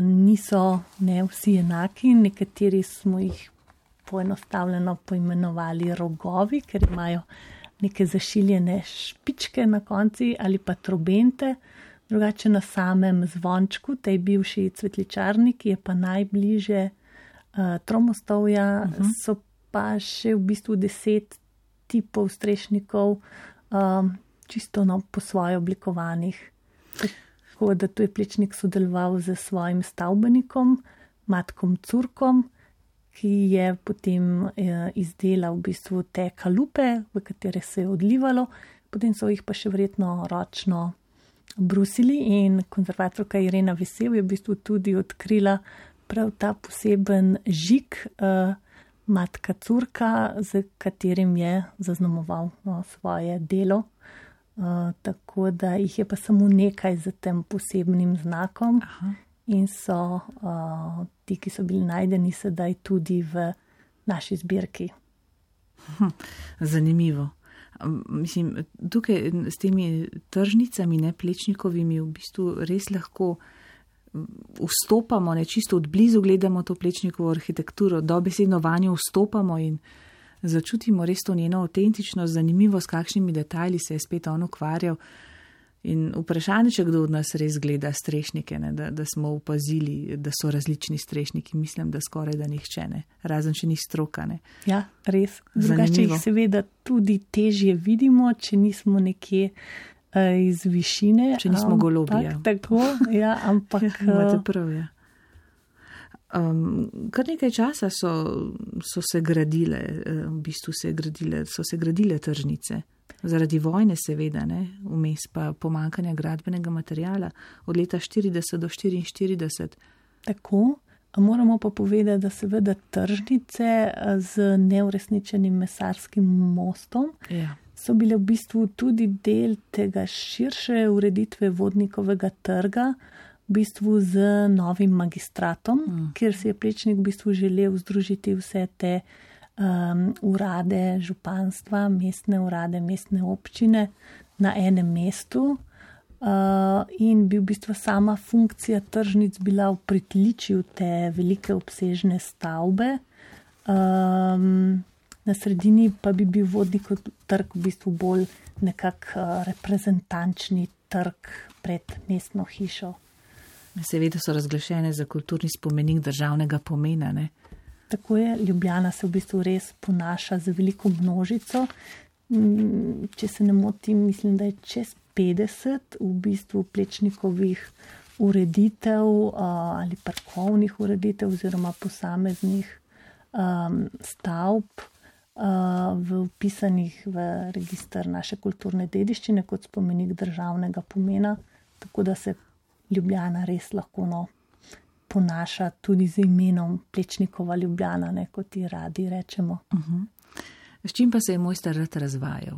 niso ne vsi enaki, nekateri smo jih poenostavljeno poimenovali rogovi, ker imajo neke zašiljene špičke na konci ali pa trobente. Drugače na samem zvončku, tej bivši cvetličarni, ki je pa najbliže uh, Tromostovja, uh-huh. so pa še v bistvu deset tipov strešnikov, um, čisto no, po svoje oblikovanih. Tako da tu je Plečnik sodeloval z svojim stavbenikom, Matkom Curkom, ki je potem eh, izdelal v bistvu te kalupe, v katere se je odlivalo, potem so jih pa še verjetno ročno brusili in konzervatorka Irena Vesel je v bistvu tudi odkrila prav ta poseben žig eh, Matka Curka, z katerim je zaznamoval no, svoje delo. Uh, tako da jih je pa samo nekaj za tem posebnim znakom. Aha. In so uh, ti, ki so bili najdeni sedaj tudi v naši zbirki. Hm, zanimivo. Mislim, tukaj s temi tržnicami, ne Plečnikovimi, v bistvu res lahko vstopamo, ne čisto od blizu gledamo to Plečnikovo arhitekturo, dobesedno vanjo vstopamo in začutimo res to njeno avtentičnost, zanimivo, s kakšnimi detajli se je spet on ukvarjal. In vprašanje, če kdo od nas res gleda strešnike, ne, da, da smo opazili, da so različni strešniki. Mislim, da skoraj da nihče ne, razen če ni stroka. Ne. Ja, res. Drugače jih seveda tudi težje vidimo, če nismo nekje uh, iz višine. Če nismo golobi. Ja. Tako, ja, ampak. Imate prav, ja. Um, kar nekaj časa so, so se gradile, v bistvu se gradile, so se gradile tržnice. Zaradi vojne seveda, ne, vmes pa pomankanja gradbenega materijala od leta štirideset do štiriinštirideset. Tako, moramo pa povedati, da seveda tržnice z neuresničenim mesarskim mostom ja. so bile v bistvu tudi del tega širše ureditve Vodnikovega trga, v bistvu z novim magistratom, mm. kjer si je Plečnik v bistvu želel združiti vse te um, urade županstva, mestne urade, mestne občine na enem mestu uh, in bi v bistvu sama funkcija tržnic bila v pritličju te velike obsežne stavbe. Um, na sredini pa bi bil Vodnikov trg v bistvu bolj nekak uh, reprezentančni trg pred mestno hišo. Seveda so razglašene za kulturni spomenik državnega pomena, ne? Tako je, Ljubljana se v bistvu res ponaša z veliko množico. Če se ne motim, mislim, da je čez petdeset v bistvu Plečnikovih ureditev ali parkovnih ureditev oziroma posameznih um, stavb uh, v vpisanih v register naše kulturne dediščine kot spomenik državnega pomena, tako da se Ljubljana res lahko no, ponaša tudi z imenom Plečnikova Ljubljana, ne, kot ji radi rečemo. Uh-huh. S čim pa se je mojster rad razvajal?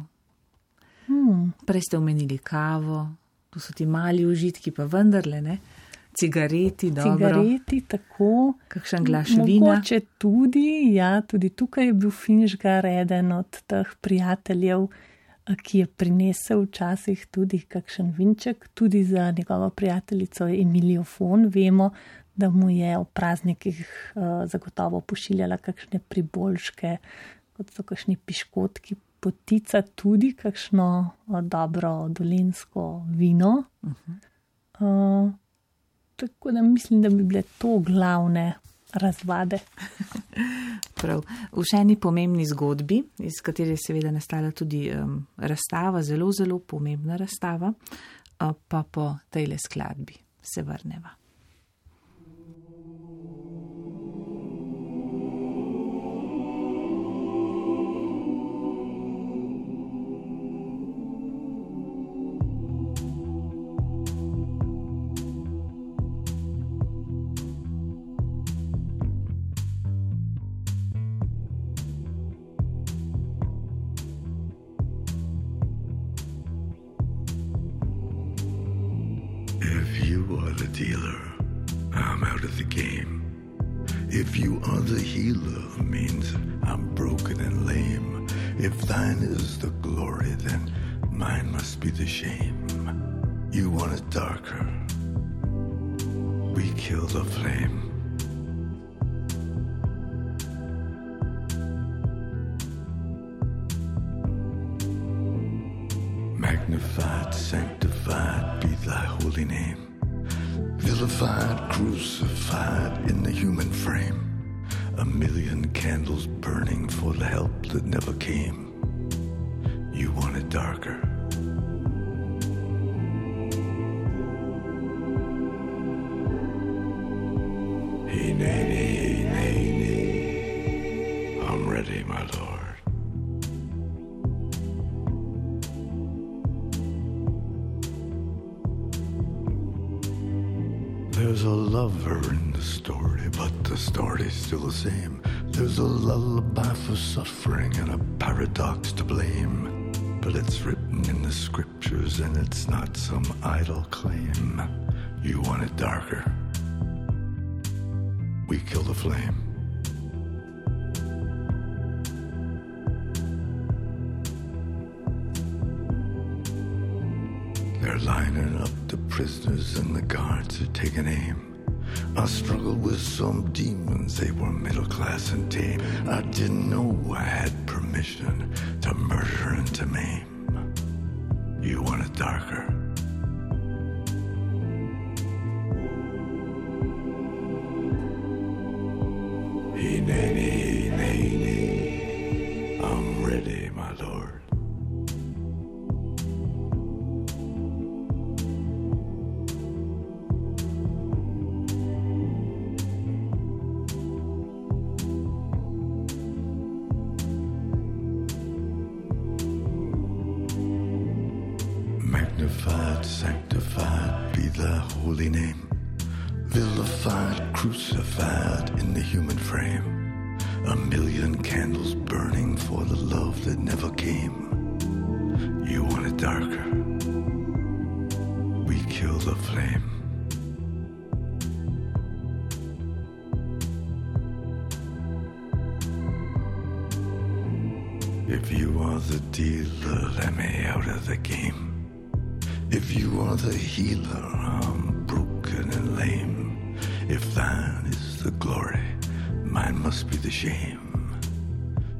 Hmm. Prej ste omenili kavo, to so ti mali užitki, pa vendarle, ne? Cigareti, dobro. Cigareti, tako. Kakšen glaš vina. Mogoče tudi, ja, tudi tukaj je bil Finžgar eden od teh prijateljev, ki je prinesel včasih tudi kakšen vinček, tudi za njegovo prijateljico Emilijo Fon. Vemo, da mu je ob praznikih uh, zagotovo pošiljala kakšne priboljške, kot so kakšni piškotki, potica, tudi kakšno uh, dobro dolenjsko vino. Uh-huh. Uh, tako da mislim, da bi bile to glavne razvade. Prav. V še eni pomembni zgodbi, iz katere je seveda nastala tudi um, razstava, zelo, zelo pomembna razstava, uh, pa po tejle skladbi se vrneva. Dealer, I'm out of the game. If you are the healer, means I'm broken and lame. If thine is the glory, then mine must be the shame. You want it darker, we kill the flame. Magnified, sanctified be thy holy name. Vilified, crucified in the human frame. A million candles burning for the help that never came. You want it darker. Hey, nay, nay, nay, nay. I'm ready, my lord. There's a lover in the story, but the story's still the same. There's a lullaby for suffering and a paradox to blame. But it's written in the scriptures and it's not some idle claim. You want it darker, we kill the flame. They're lining up the prisoners and the guards are taking aim. I struggled with some demons, they were middle class and tame. I didn't know I had permission to murder and to maim. You want it darker, hey, nay, nay, nay, nay. I'm ready, my lord. Magnified, sanctified be thy holy name. Vilified, crucified in the human frame. A million candles burning for the love that never came. You want it darker, we kill the flame. If you are the dealer, let me out of the game. If you are the healer, I'm broken and lame. If thine is the glory, mine must be the shame.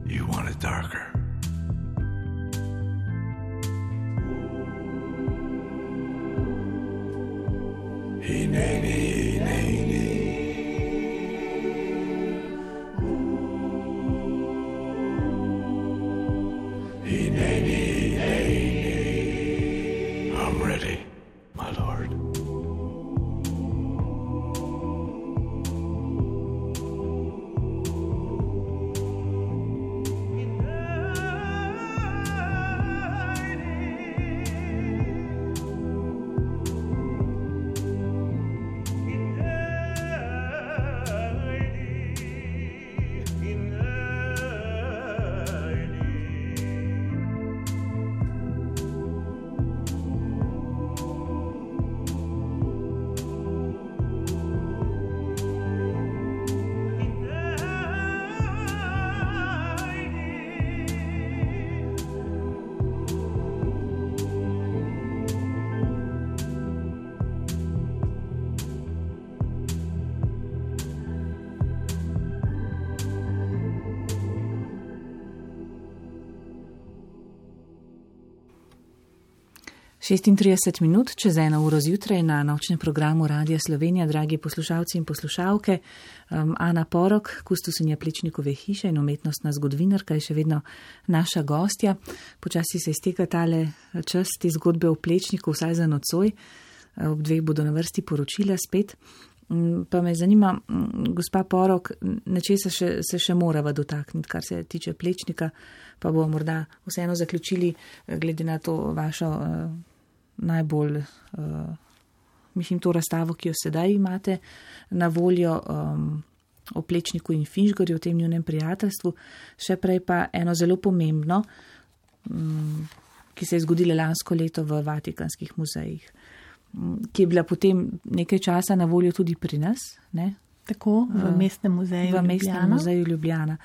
You want it darker, hey, nay, nay, nay, nay. Hey, nay, nay, nay, nay. I'm ready, my lord. šestintrideset minut čez eno uro zjutraj na nočnem programu Radia Slovenija, dragi poslušalci in poslušalke. Um, Ana Porok, kustosinja Plečnikove hiše in umetnostna zgodovinarka, je še vedno naša gostja. Počasi se izteka tale čas te zgodbe o Plečniku, vsaj za nocoj. Ob dveh bodo na vrsti poročila spet. Pa me zanima, gospa Porok, nečesa še, se še morava dotakniti, kar se tiče Plečnika, pa bomo morda vseeno zaključili glede na to vašo uh, najbolj, uh, mislim, to razstavo, ki jo sedaj imate na voljo um, o Plečniku in Finžgorju, o tem njunem prijateljstvu. Še prej pa eno zelo pomembno, um, ki se je zgodilo lansko leto v Vatikanskih muzejih, ki je bila potem nekaj časa na voljo tudi pri nas, ne? Tako, v mestnem muzeju v Ljubljana. mestnem muzeju Ljubljana.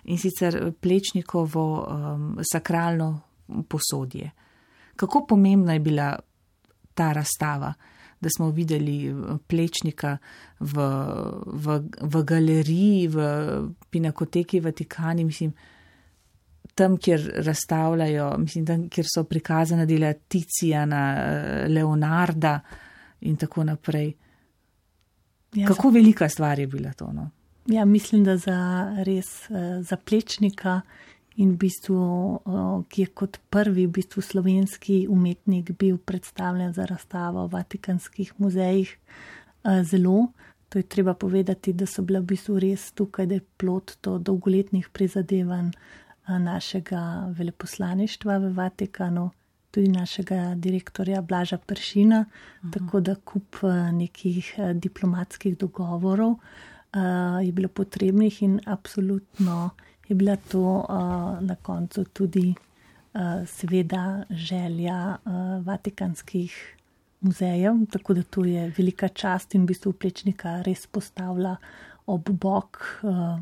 In sicer Plečnikovo um, sakralno posodje. Kako pomembna je bila ta razstava, da smo videli Plečnika v, v, v galeriji, v Pinakoteki Vatikani, mislim, tam, kjer razstavljajo, mislim, tam, kjer so prikazana dela Ticijana, Leonarda in tako naprej. Ja, kako za... velika stvar je bila to, no? Ja, mislim, da za res za Plečnika in v bistvu, ki je kot prvi v bistvu slovenski umetnik bil predstavljen za razstavo v vatikanskih muzejih, zelo. To je treba povedati, da so bile v bistvu res tukaj, da je plod to dolgoletnih prizadevanj našega veleposlaništva v Vatikanu, tudi našega direktorja Blaža Peršina, uh-huh. tako da kup nekih diplomatskih dogovorov uh, je bilo potrebnih in absolutno je bila to uh, na koncu tudi uh, seveda želja uh, vatikanskih muzejev, tako da to je velika čast in v bistvu Plečnika res postavlja ob bok uh,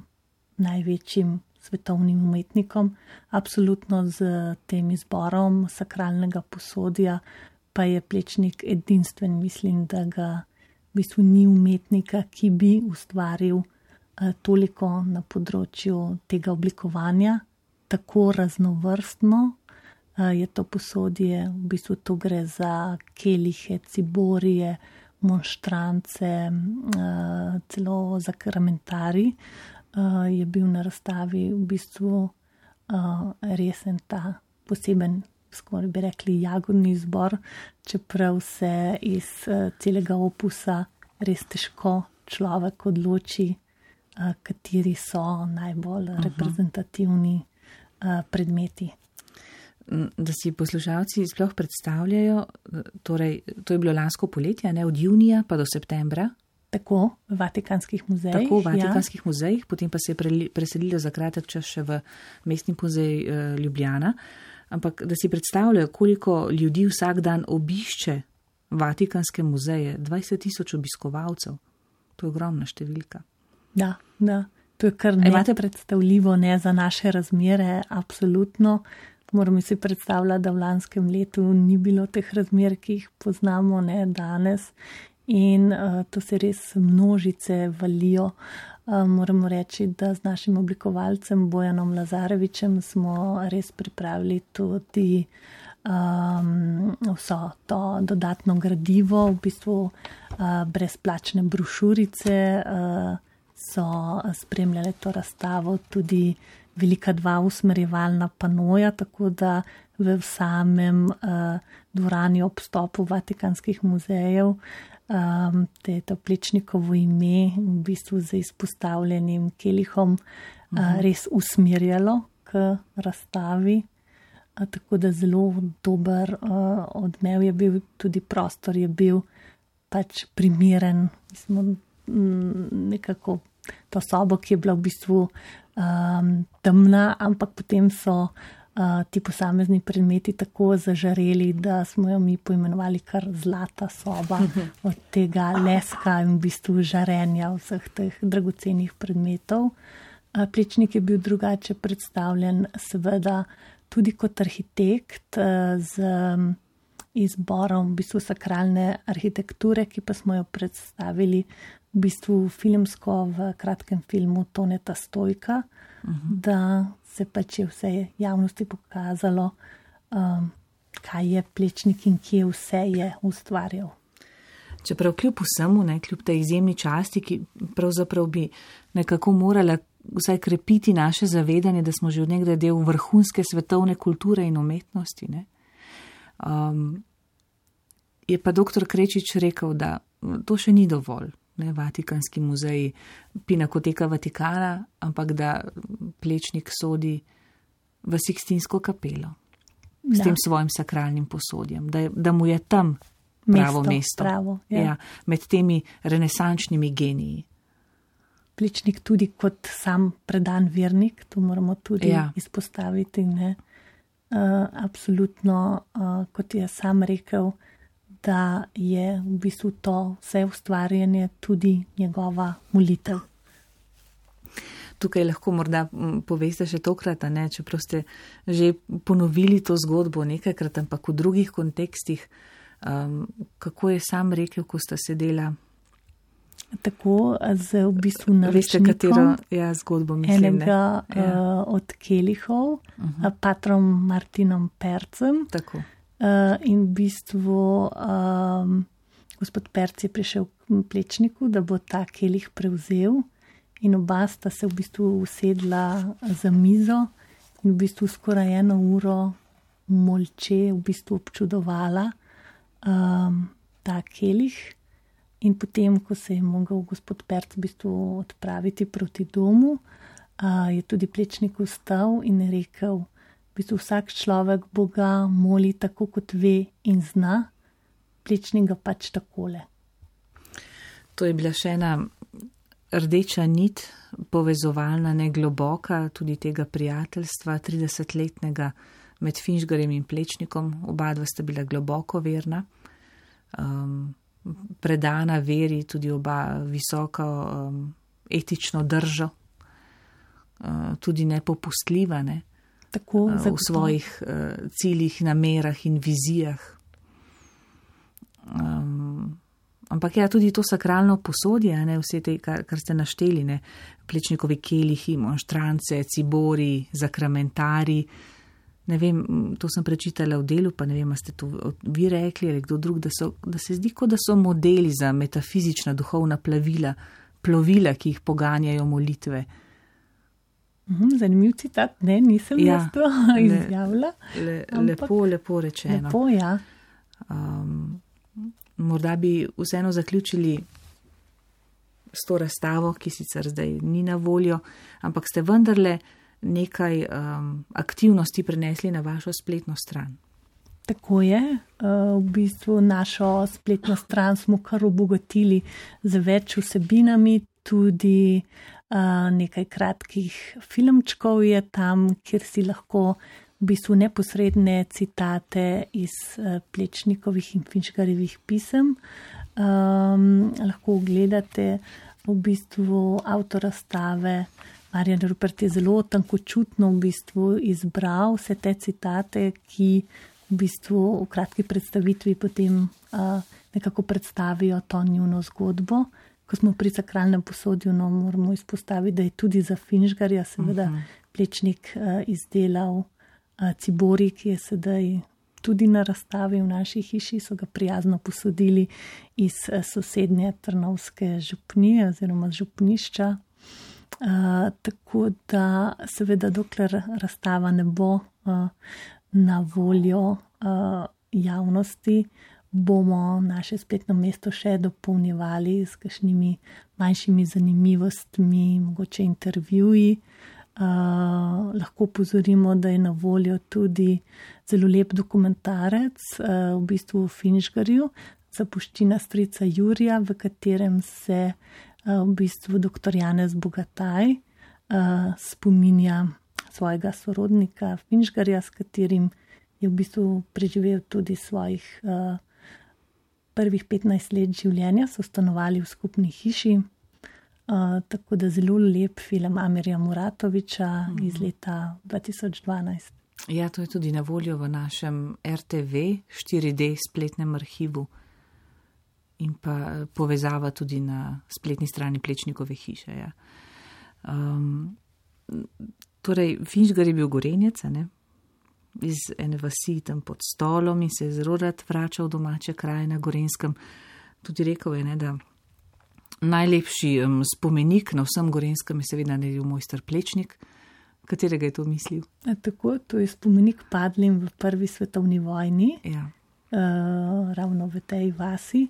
največjim svetovnim umetnikom. Absolutno z tem izborom sakralnega posodja pa je Plečnik edinstven. Mislim, da ga v bistvu ni umetnika, ki bi ustvaril eh, toliko na področju tega oblikovanja, tako raznovrstno eh, je to posodje. V bistvu to gre za kelihe, ciborije, monštrance, eh, celo za karamentari. Uh, je bil na razstavi v bistvu uh, resen ta poseben, skoraj bi rekli, jagodni izbor, čeprav se iz uh, celega opusa res težko človek odloči, uh, kateri so najbolj uh-huh. reprezentativni uh, predmeti. Da si poslušalci sploh predstavljajo, torej, to je bilo lansko poletje, ne, od junija pa do septembra. Tako, v vatikanskih muzejih. Tako, v vatikanskih ja. muzejih, potem pa se je preselilo za kratek čas še v mestni muzej uh, Ljubljana. Ampak da si predstavljajo, koliko ljudi vsak dan obišče vatikanske muzeje, dvajset tisoč obiskovalcev. To je ogromna številka. Da, da. To je kar nekaj predstavljivo, ne za naše razmere, absolutno. Moramo si predstavljati, da v lanskem letu ni bilo teh razmer, ki jih poznamo, ne danes. In uh, to se res množice valijo. Uh, moramo reči, da z našim oblikovalcem Bojanom Lazarevičem smo res pripravili tudi um, vso to dodatno gradivo, v bistvu uh, brezplačne brošurice, uh, so spremljale to razstavo tudi velika dva usmerjevalna panoja, tako da v samem uh, dvorani ob vstopu vatikanskih muzejev Um, te je to Plečnikovo ime v bistvu z izpostavljenim kelihom uh, uh-huh. res usmerjalo k razstavi, uh, tako da zelo dober uh, odmev je bil, tudi prostor je bil pač primeren. Mi smo m, nekako to sobo, ki je bila v bistvu um, temna, ampak potem so Uh, ti posamezni predmeti tako zažareli, da smo jo mi poimenovali kar zlata soba od tega leska in v bistvu žarenja vseh teh dragocenih predmetov. Uh, Plečnik je bil drugače predstavljen seveda tudi kot arhitekt uh, z um, izborom v bistvu sakralne arhitekture, ki pa smo jo predstavili v bistvu filmsko v kratkem filmu Toneta Stojka, uh-huh. da se pač je vse javnosti pokazalo, um, kaj je Plečnik in kje vse je ustvarjal. Čeprav kljub vsemu, ne, kljub tej izjemni časti, ki pravzaprav bi nekako morala vsaj krepiti naše zavedanje, da smo že od nekdaj del vrhunske svetovne kulture in umetnosti, ne, um, je pa doktor Krečič rekel, da to še ni dovolj. Ne, Vatikanski muzej, Pinakoteka Vatikana, ampak da Plečnik sodi v Sikstinsko kapelo s da. tem svojim sakralnim posodjem, da, je, da mu je tam pravo mesto, mesto. Pravo, ja. Ja, med temi renesančnimi geniji. Plečnik tudi kot sam predan vernik, to moramo tudi ja. izpostaviti. Ne? Uh, absolutno, uh, kot je sam rekel, v da je v bistvu to vse ustvarjanje tudi njegova molitev. Tukaj lahko morda poveste še tokrat, ne, čeprav ste že ponovili to zgodbo nekajkrat, ampak v drugih kontekstih, um, kako je sam rekel, ko sta sedela. Tako z v bistvu naročnikom. Veste, katero ja, zgodbo mislim, enega ne? Ja. uh, od kelihov, uh-huh. patrom Martinom Percem. Tako. Uh, in v bistvu um, gospod Perc je prišel k Plečniku, da bo ta kelih prevzel. In oba sta se v bistvu usedla za mizo in v bistvu skoraj eno uro molče v bistvu občudovala um, ta kelih. In potem, ko se je mogel gospod Perc v bistvu odpraviti proti domu, uh, je tudi Plečnik vstal in rekel, v bistvu vsak človek Boga moli tako, kot ve in zna, Plečnik ga pač takole. To je bila še ena rdeča nit, povezovalna, ne globoka, tudi tega prijateljstva tridesetletnega med Finžgarjem in Plečnikom. Oba dva sta bila globoko verna, um, predana veri, tudi oba visoko um, etično držo, uh, tudi nepopustljiva, ne? Tako, uh, v svojih uh, ciljih, namerah in vizijah. Um, Ampak ja, tudi to sakralno posodje, ne, vse te, kar, kar ste našteli, ne, Plečnikovi kelihi, monštrance, cibori, zakramentari, ne vem, to sem prečitala v delu, pa ne vem, a ste to vi rekli ali kdo drug, da, so, da se zdi, kot da so modeli za metafizična duhovna plavila, plovila, ki jih poganjajo molitve. Zanimiv citat, ne, nisem ja, jaz to izjavila. Le, lepo, lepo rečeno. Lepo, ja. Um, Morda bi vseeno zaključili s to razstavo, ki sicer zdaj ni na voljo, ampak ste vendarle nekaj um, aktivnosti prenesli na vašo spletno stran. Tako je. V bistvu našo spletno stran smo kar obogatili z več vsebinami, tudi uh, nekaj kratkih filmčkov je tam, kjer si lahko v bistvu neposredne citate iz uh, Plečnikovih in Finžgarjevih pisem. Um, lahko gledate v bistvu avtor razstave. Marjan Rupert je zelo tankočutno v bistvu izbral vse te citate, ki v bistvu v kratki predstavitvi potem uh, nekako predstavijo to njuno zgodbo. Ko smo pri sakralnem posodju, no, moramo izpostaviti, da je tudi za Finžgarja seveda uh-huh. Plečnik uh, izdelal cibori, ki je sedaj tudi na razstavi v naši hiši, so ga prijazno posodili iz sosednje Trnovske župnije oziroma župnišča. Uh, tako da seveda dokler razstava ne bo uh, na voljo uh, javnosti, bomo naše spletno mesto še dopolnjevali s kakšnimi manjšimi zanimivostmi, mogoče intervjuji. Uh, lahko pozorimo, da je na voljo tudi zelo lep dokumentarec uh, v bistvu v Finžgarju, Zapuščina strica Jurija, v katerem se uh, v bistvu doktor Janez Bogataj uh, spominja svojega sorodnika Finžgarja, s katerim je v bistvu preživel tudi svojih uh, prvih petnajst let življenja, so stanovali v skupni hiši. Uh, tako da zelo lep film Amirja Muratoviča mm. iz leta dva tisoč dvanajst. Ja, to je tudi na voljo v našem er te ve štiri de spletnem arhivu in pa povezava tudi na spletni strani Plečnikove hiše. Ja. Um, torej, Finžgar je bil Gorenjec, ne? Iz ene vasi tam pod Stolom in se je zelo rad vračal v domače kraje na Gorenskem. Tudi rekel je, ne, da najlepši um, spomenik na vsem Gorenskem je seveda naredil mojster Plečnik. Katerega je to mislil? A, tako, to je spomenik padlim v prvi svetovni vojni, ja. uh, ravno v tej vasi.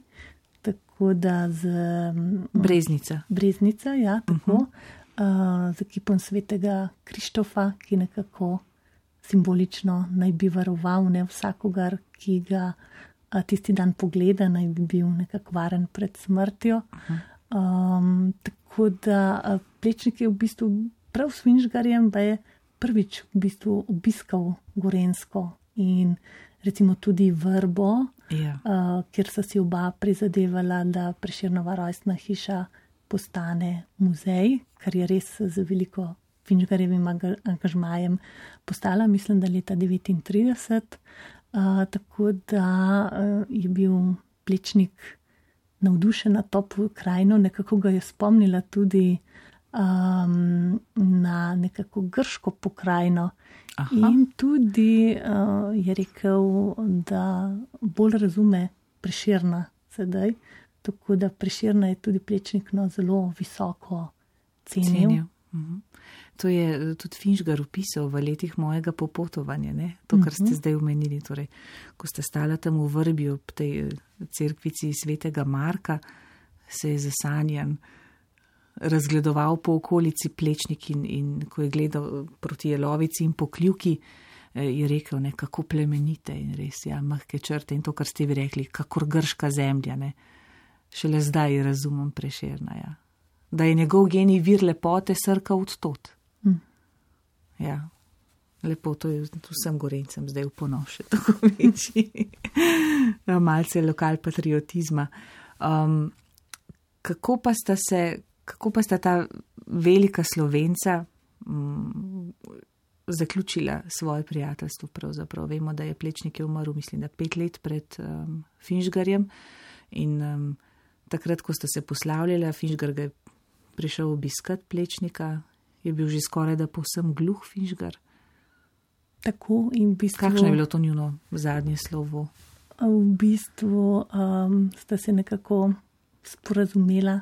Tako da z... Um, Breznica. Breznica, ja, tako. Uh-huh. Uh, z ekipom svetega Krištofa, ki nekako simbolično naj bi varoval ne vsakogar, ki ga uh, tisti dan pogleda, naj bi bil nekako varen pred smrtjo. Uh-huh. Um, tako da uh, Plečnik je v bistvu prav s Finžgarjem, pa je prvič v bistvu obiskal Gorensko in recimo tudi Vrbo, Ja. uh, kjer so si oba prizadevala, da Prešernova rojstna hiša postane muzej, kar je res z veliko Finžgarjevim angažmajem postala, mislim, da leta devetintrideset. Uh, tako da uh, je bil Plečnik navdušen nad to pokrajino, nekako ga je spomnila tudi um, na nekako grško pokrajino. Aha. In tudi uh, je rekel, da bolj razume Prešerna sedaj, tako da Prešerna je tudi Plečnik no, zelo visoko cenil. Cenil. Mhm. To je tudi Finžgar opisal v letih mojega popotovanja, ne? To, kar ste zdaj omenili. Torej, ko ste stala tam v Vrbi ob tej cerkvici svetega Marka, se je zasanjan razgledoval po okolici Plečnik in, in ko je gledal proti Jelovici in Pokljuki, je rekel, ne, kako plemenite in res, ja, mahke črte in to, kar ste vi rekli, kakor grška zemlja, ne. Šele zdaj razumem Prešerna, ja. Da je njegov genij vir lepote srka od tot. Mm. Ja, lepo, to je vsem Gorencem zdaj v ponos še tako večji. Malce lokal patriotizma. Um, kako pa sta se, kako pa sta ta velika Slovenca um, zaključila svoje prijateljstvo pravzaprav? Vemo, da je Plečnik je umrl, mislim, da pet let pred um, Finžgarjem in um, takrat, ko sta se poslavljala, Finžgar ga je prišel obiskat Plečnika, je bil že skoraj da povsem gluh Finžgar. Tako in v bistvu... Kakšno je bilo to njuno zadnje slovo? V bistvu um, sta se nekako sporazumela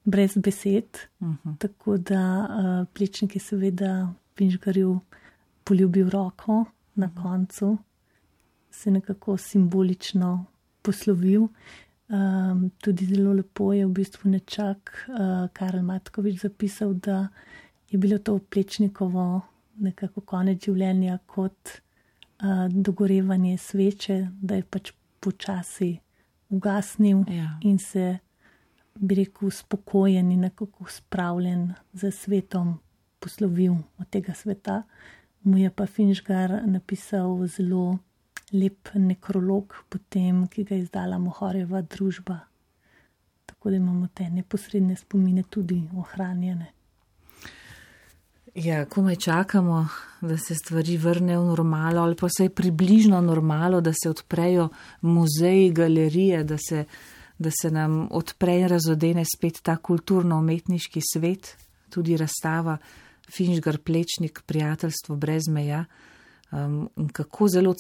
brez besed, uh-huh. Tako da uh, Plečnik je seveda Finžgarju poljubil roko na uh-huh. koncu, se nekako simbolično poslovil. Um, tudi zelo lepo je v bistvu nečak uh, Karel Matkovič zapisal, da je bilo to Plečnikovo nekako konec življenja kot uh, dogorevanje sveče, da je pač počasi ugasnil ja. In se, bi rekel, spokojen in nekako spravljen za svetom poslovil od tega sveta. Mu je pa Finžgar napisal zelo lep nekrolog potem, ki ga je izdala Mohorjeva družba. Tako da imamo te neposredne spomine tudi ohranjene. Ja, komaj čakamo, da se stvari vrnejo v normalo ali pa vsaj približno normalo, da se odprejo muzeji, galerije, da se, da se nam odpre in razodene spet ta kulturno-umetniški svet, tudi razstava Finžgar Plečnik, prijateljstvo brez meja. Um, kako zelo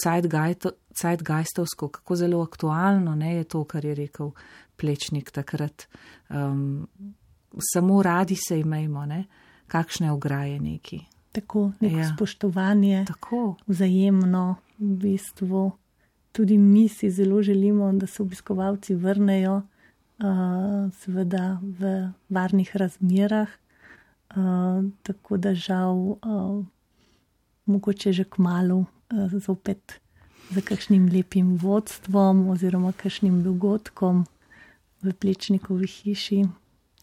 zeitgeistovsko, kako zelo aktualno ne, je to, kar je rekel Plečnik takrat. Um, samo radi se imejmo, ne, kakšne ograje neki. Tako, neko ja. spoštovanje, tako. Vzajemno, v bistvu. Tudi mi si zelo želimo, da se obiskovalci vrnejo, uh, seveda v varnih razmerah, uh, tako da žal uh, mogoče že kmalu uh, zopet za kakšnim lepim vodstvom oziroma kakšnim dogodkom v Plečnikovi hiši.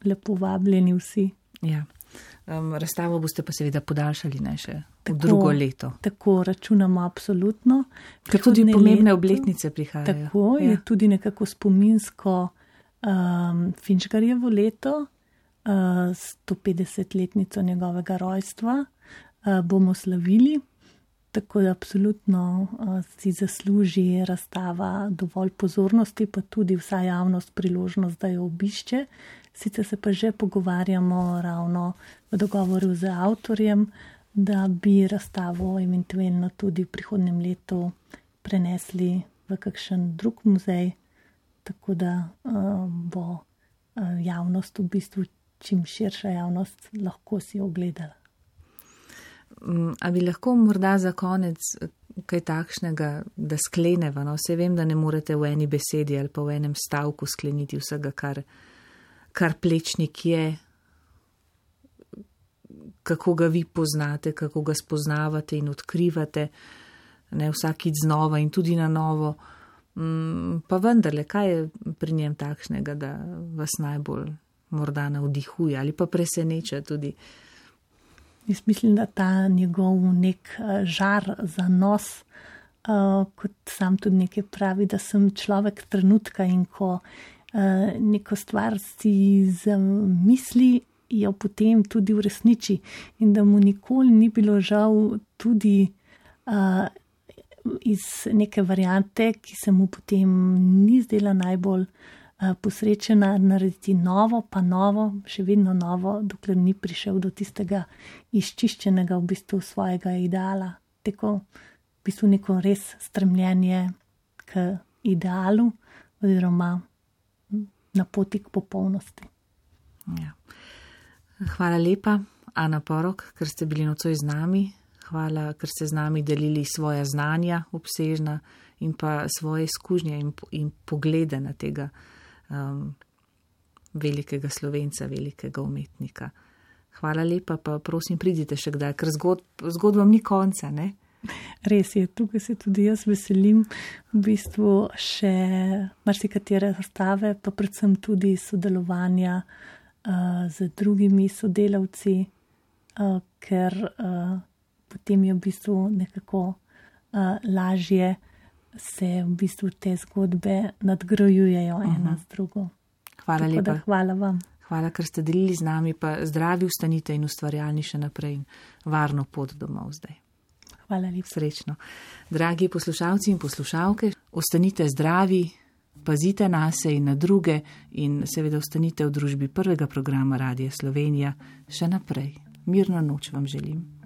Lepo vabljeni vsi. Ja. Um, razstavo boste pa seveda podaljšali ne še tako, v drugo leto. Tako računamo absolutno. Ker tudi pomembne obletnice prihajajo. Tako ja. Je tudi nekako spominsko um, Finžgarjevo leto, uh, sto petdesetletnico njegovega rojstva uh, bomo slavili. Tako da absolutno uh, si zasluži razstava dovolj pozornosti, pa tudi vsa javnost priložnost, da jo obišče. Sicer se pa že pogovarjamo ravno v dogovoru z avtorjem, da bi razstavo eventualno tudi v prihodnjem letu prenesli v kakšen drug muzej, tako da uh, bo uh, javnost v bistvu čim širša javnost lahko si ogledala. A bi lahko morda za konec kaj takšnega, da skleneva? No? Vse vem, da ne morete v eni besedi ali pa v enem stavku skleniti vsega, kar, kar Plečnik je, kako ga vi poznate, kako ga spoznavate in odkrivate, ne vsakič znova in tudi na novo. Pa vendarle, kaj je pri njem takšnega, da vas najbolj morda navdihuje ali pa preseneča tudi? Jaz mislim, da ta njegov nek žar za nos uh, kot sam tudi nekaj pravi, da sem človek trenutka in ko uh, neko stvar si zamisli, jo potem tudi uresniči in da mu nikoli ni bilo žal tudi uh, iz neke variante, ki se mu potem ni zdela najbolj uh, posrečena, narediti novo, pa novo, še vedno novo, dokler ni prišel do tistega izčiščenega v bistvu svojega ideala. Tako v bistvu neko res stremljenje k idealu oziroma na poti k popolnosti. Ja. Hvala lepa, Ana Porok, ker ste bili nocoj z nami. Hvala, ker ste z nami delili svoja znanja obsežna in pa svoje izkušnje in, in poglede na tega um, velikega Slovenca, velikega umetnika. Hvala lepa, pa prosim, pridite še kdaj, ker zgod, zgodbam ni konca, ne? Res je, tukaj se tudi jaz veselim v bistvu še marsikatere razstave, pa predvsem tudi sodelovanja uh, z drugimi sodelavci, uh, ker uh, potem je v bistvu nekako uh, lažje se v bistvu te zgodbe nadgrajujejo uh-huh. ena z drugo. Hvala Tako lepa. Da, hvala vam. Hvala, ker ste delili z nami, pa zdravi ostanite in ustvarjalni še naprej in varno pot domov zdaj. Hvala lepa. Srečno. Dragi poslušalci in poslušalke, ostanite zdravi, pazite nase in na druge in seveda ostanite v družbi prvega programa Radia Slovenija še naprej. Mirno noč vam želim.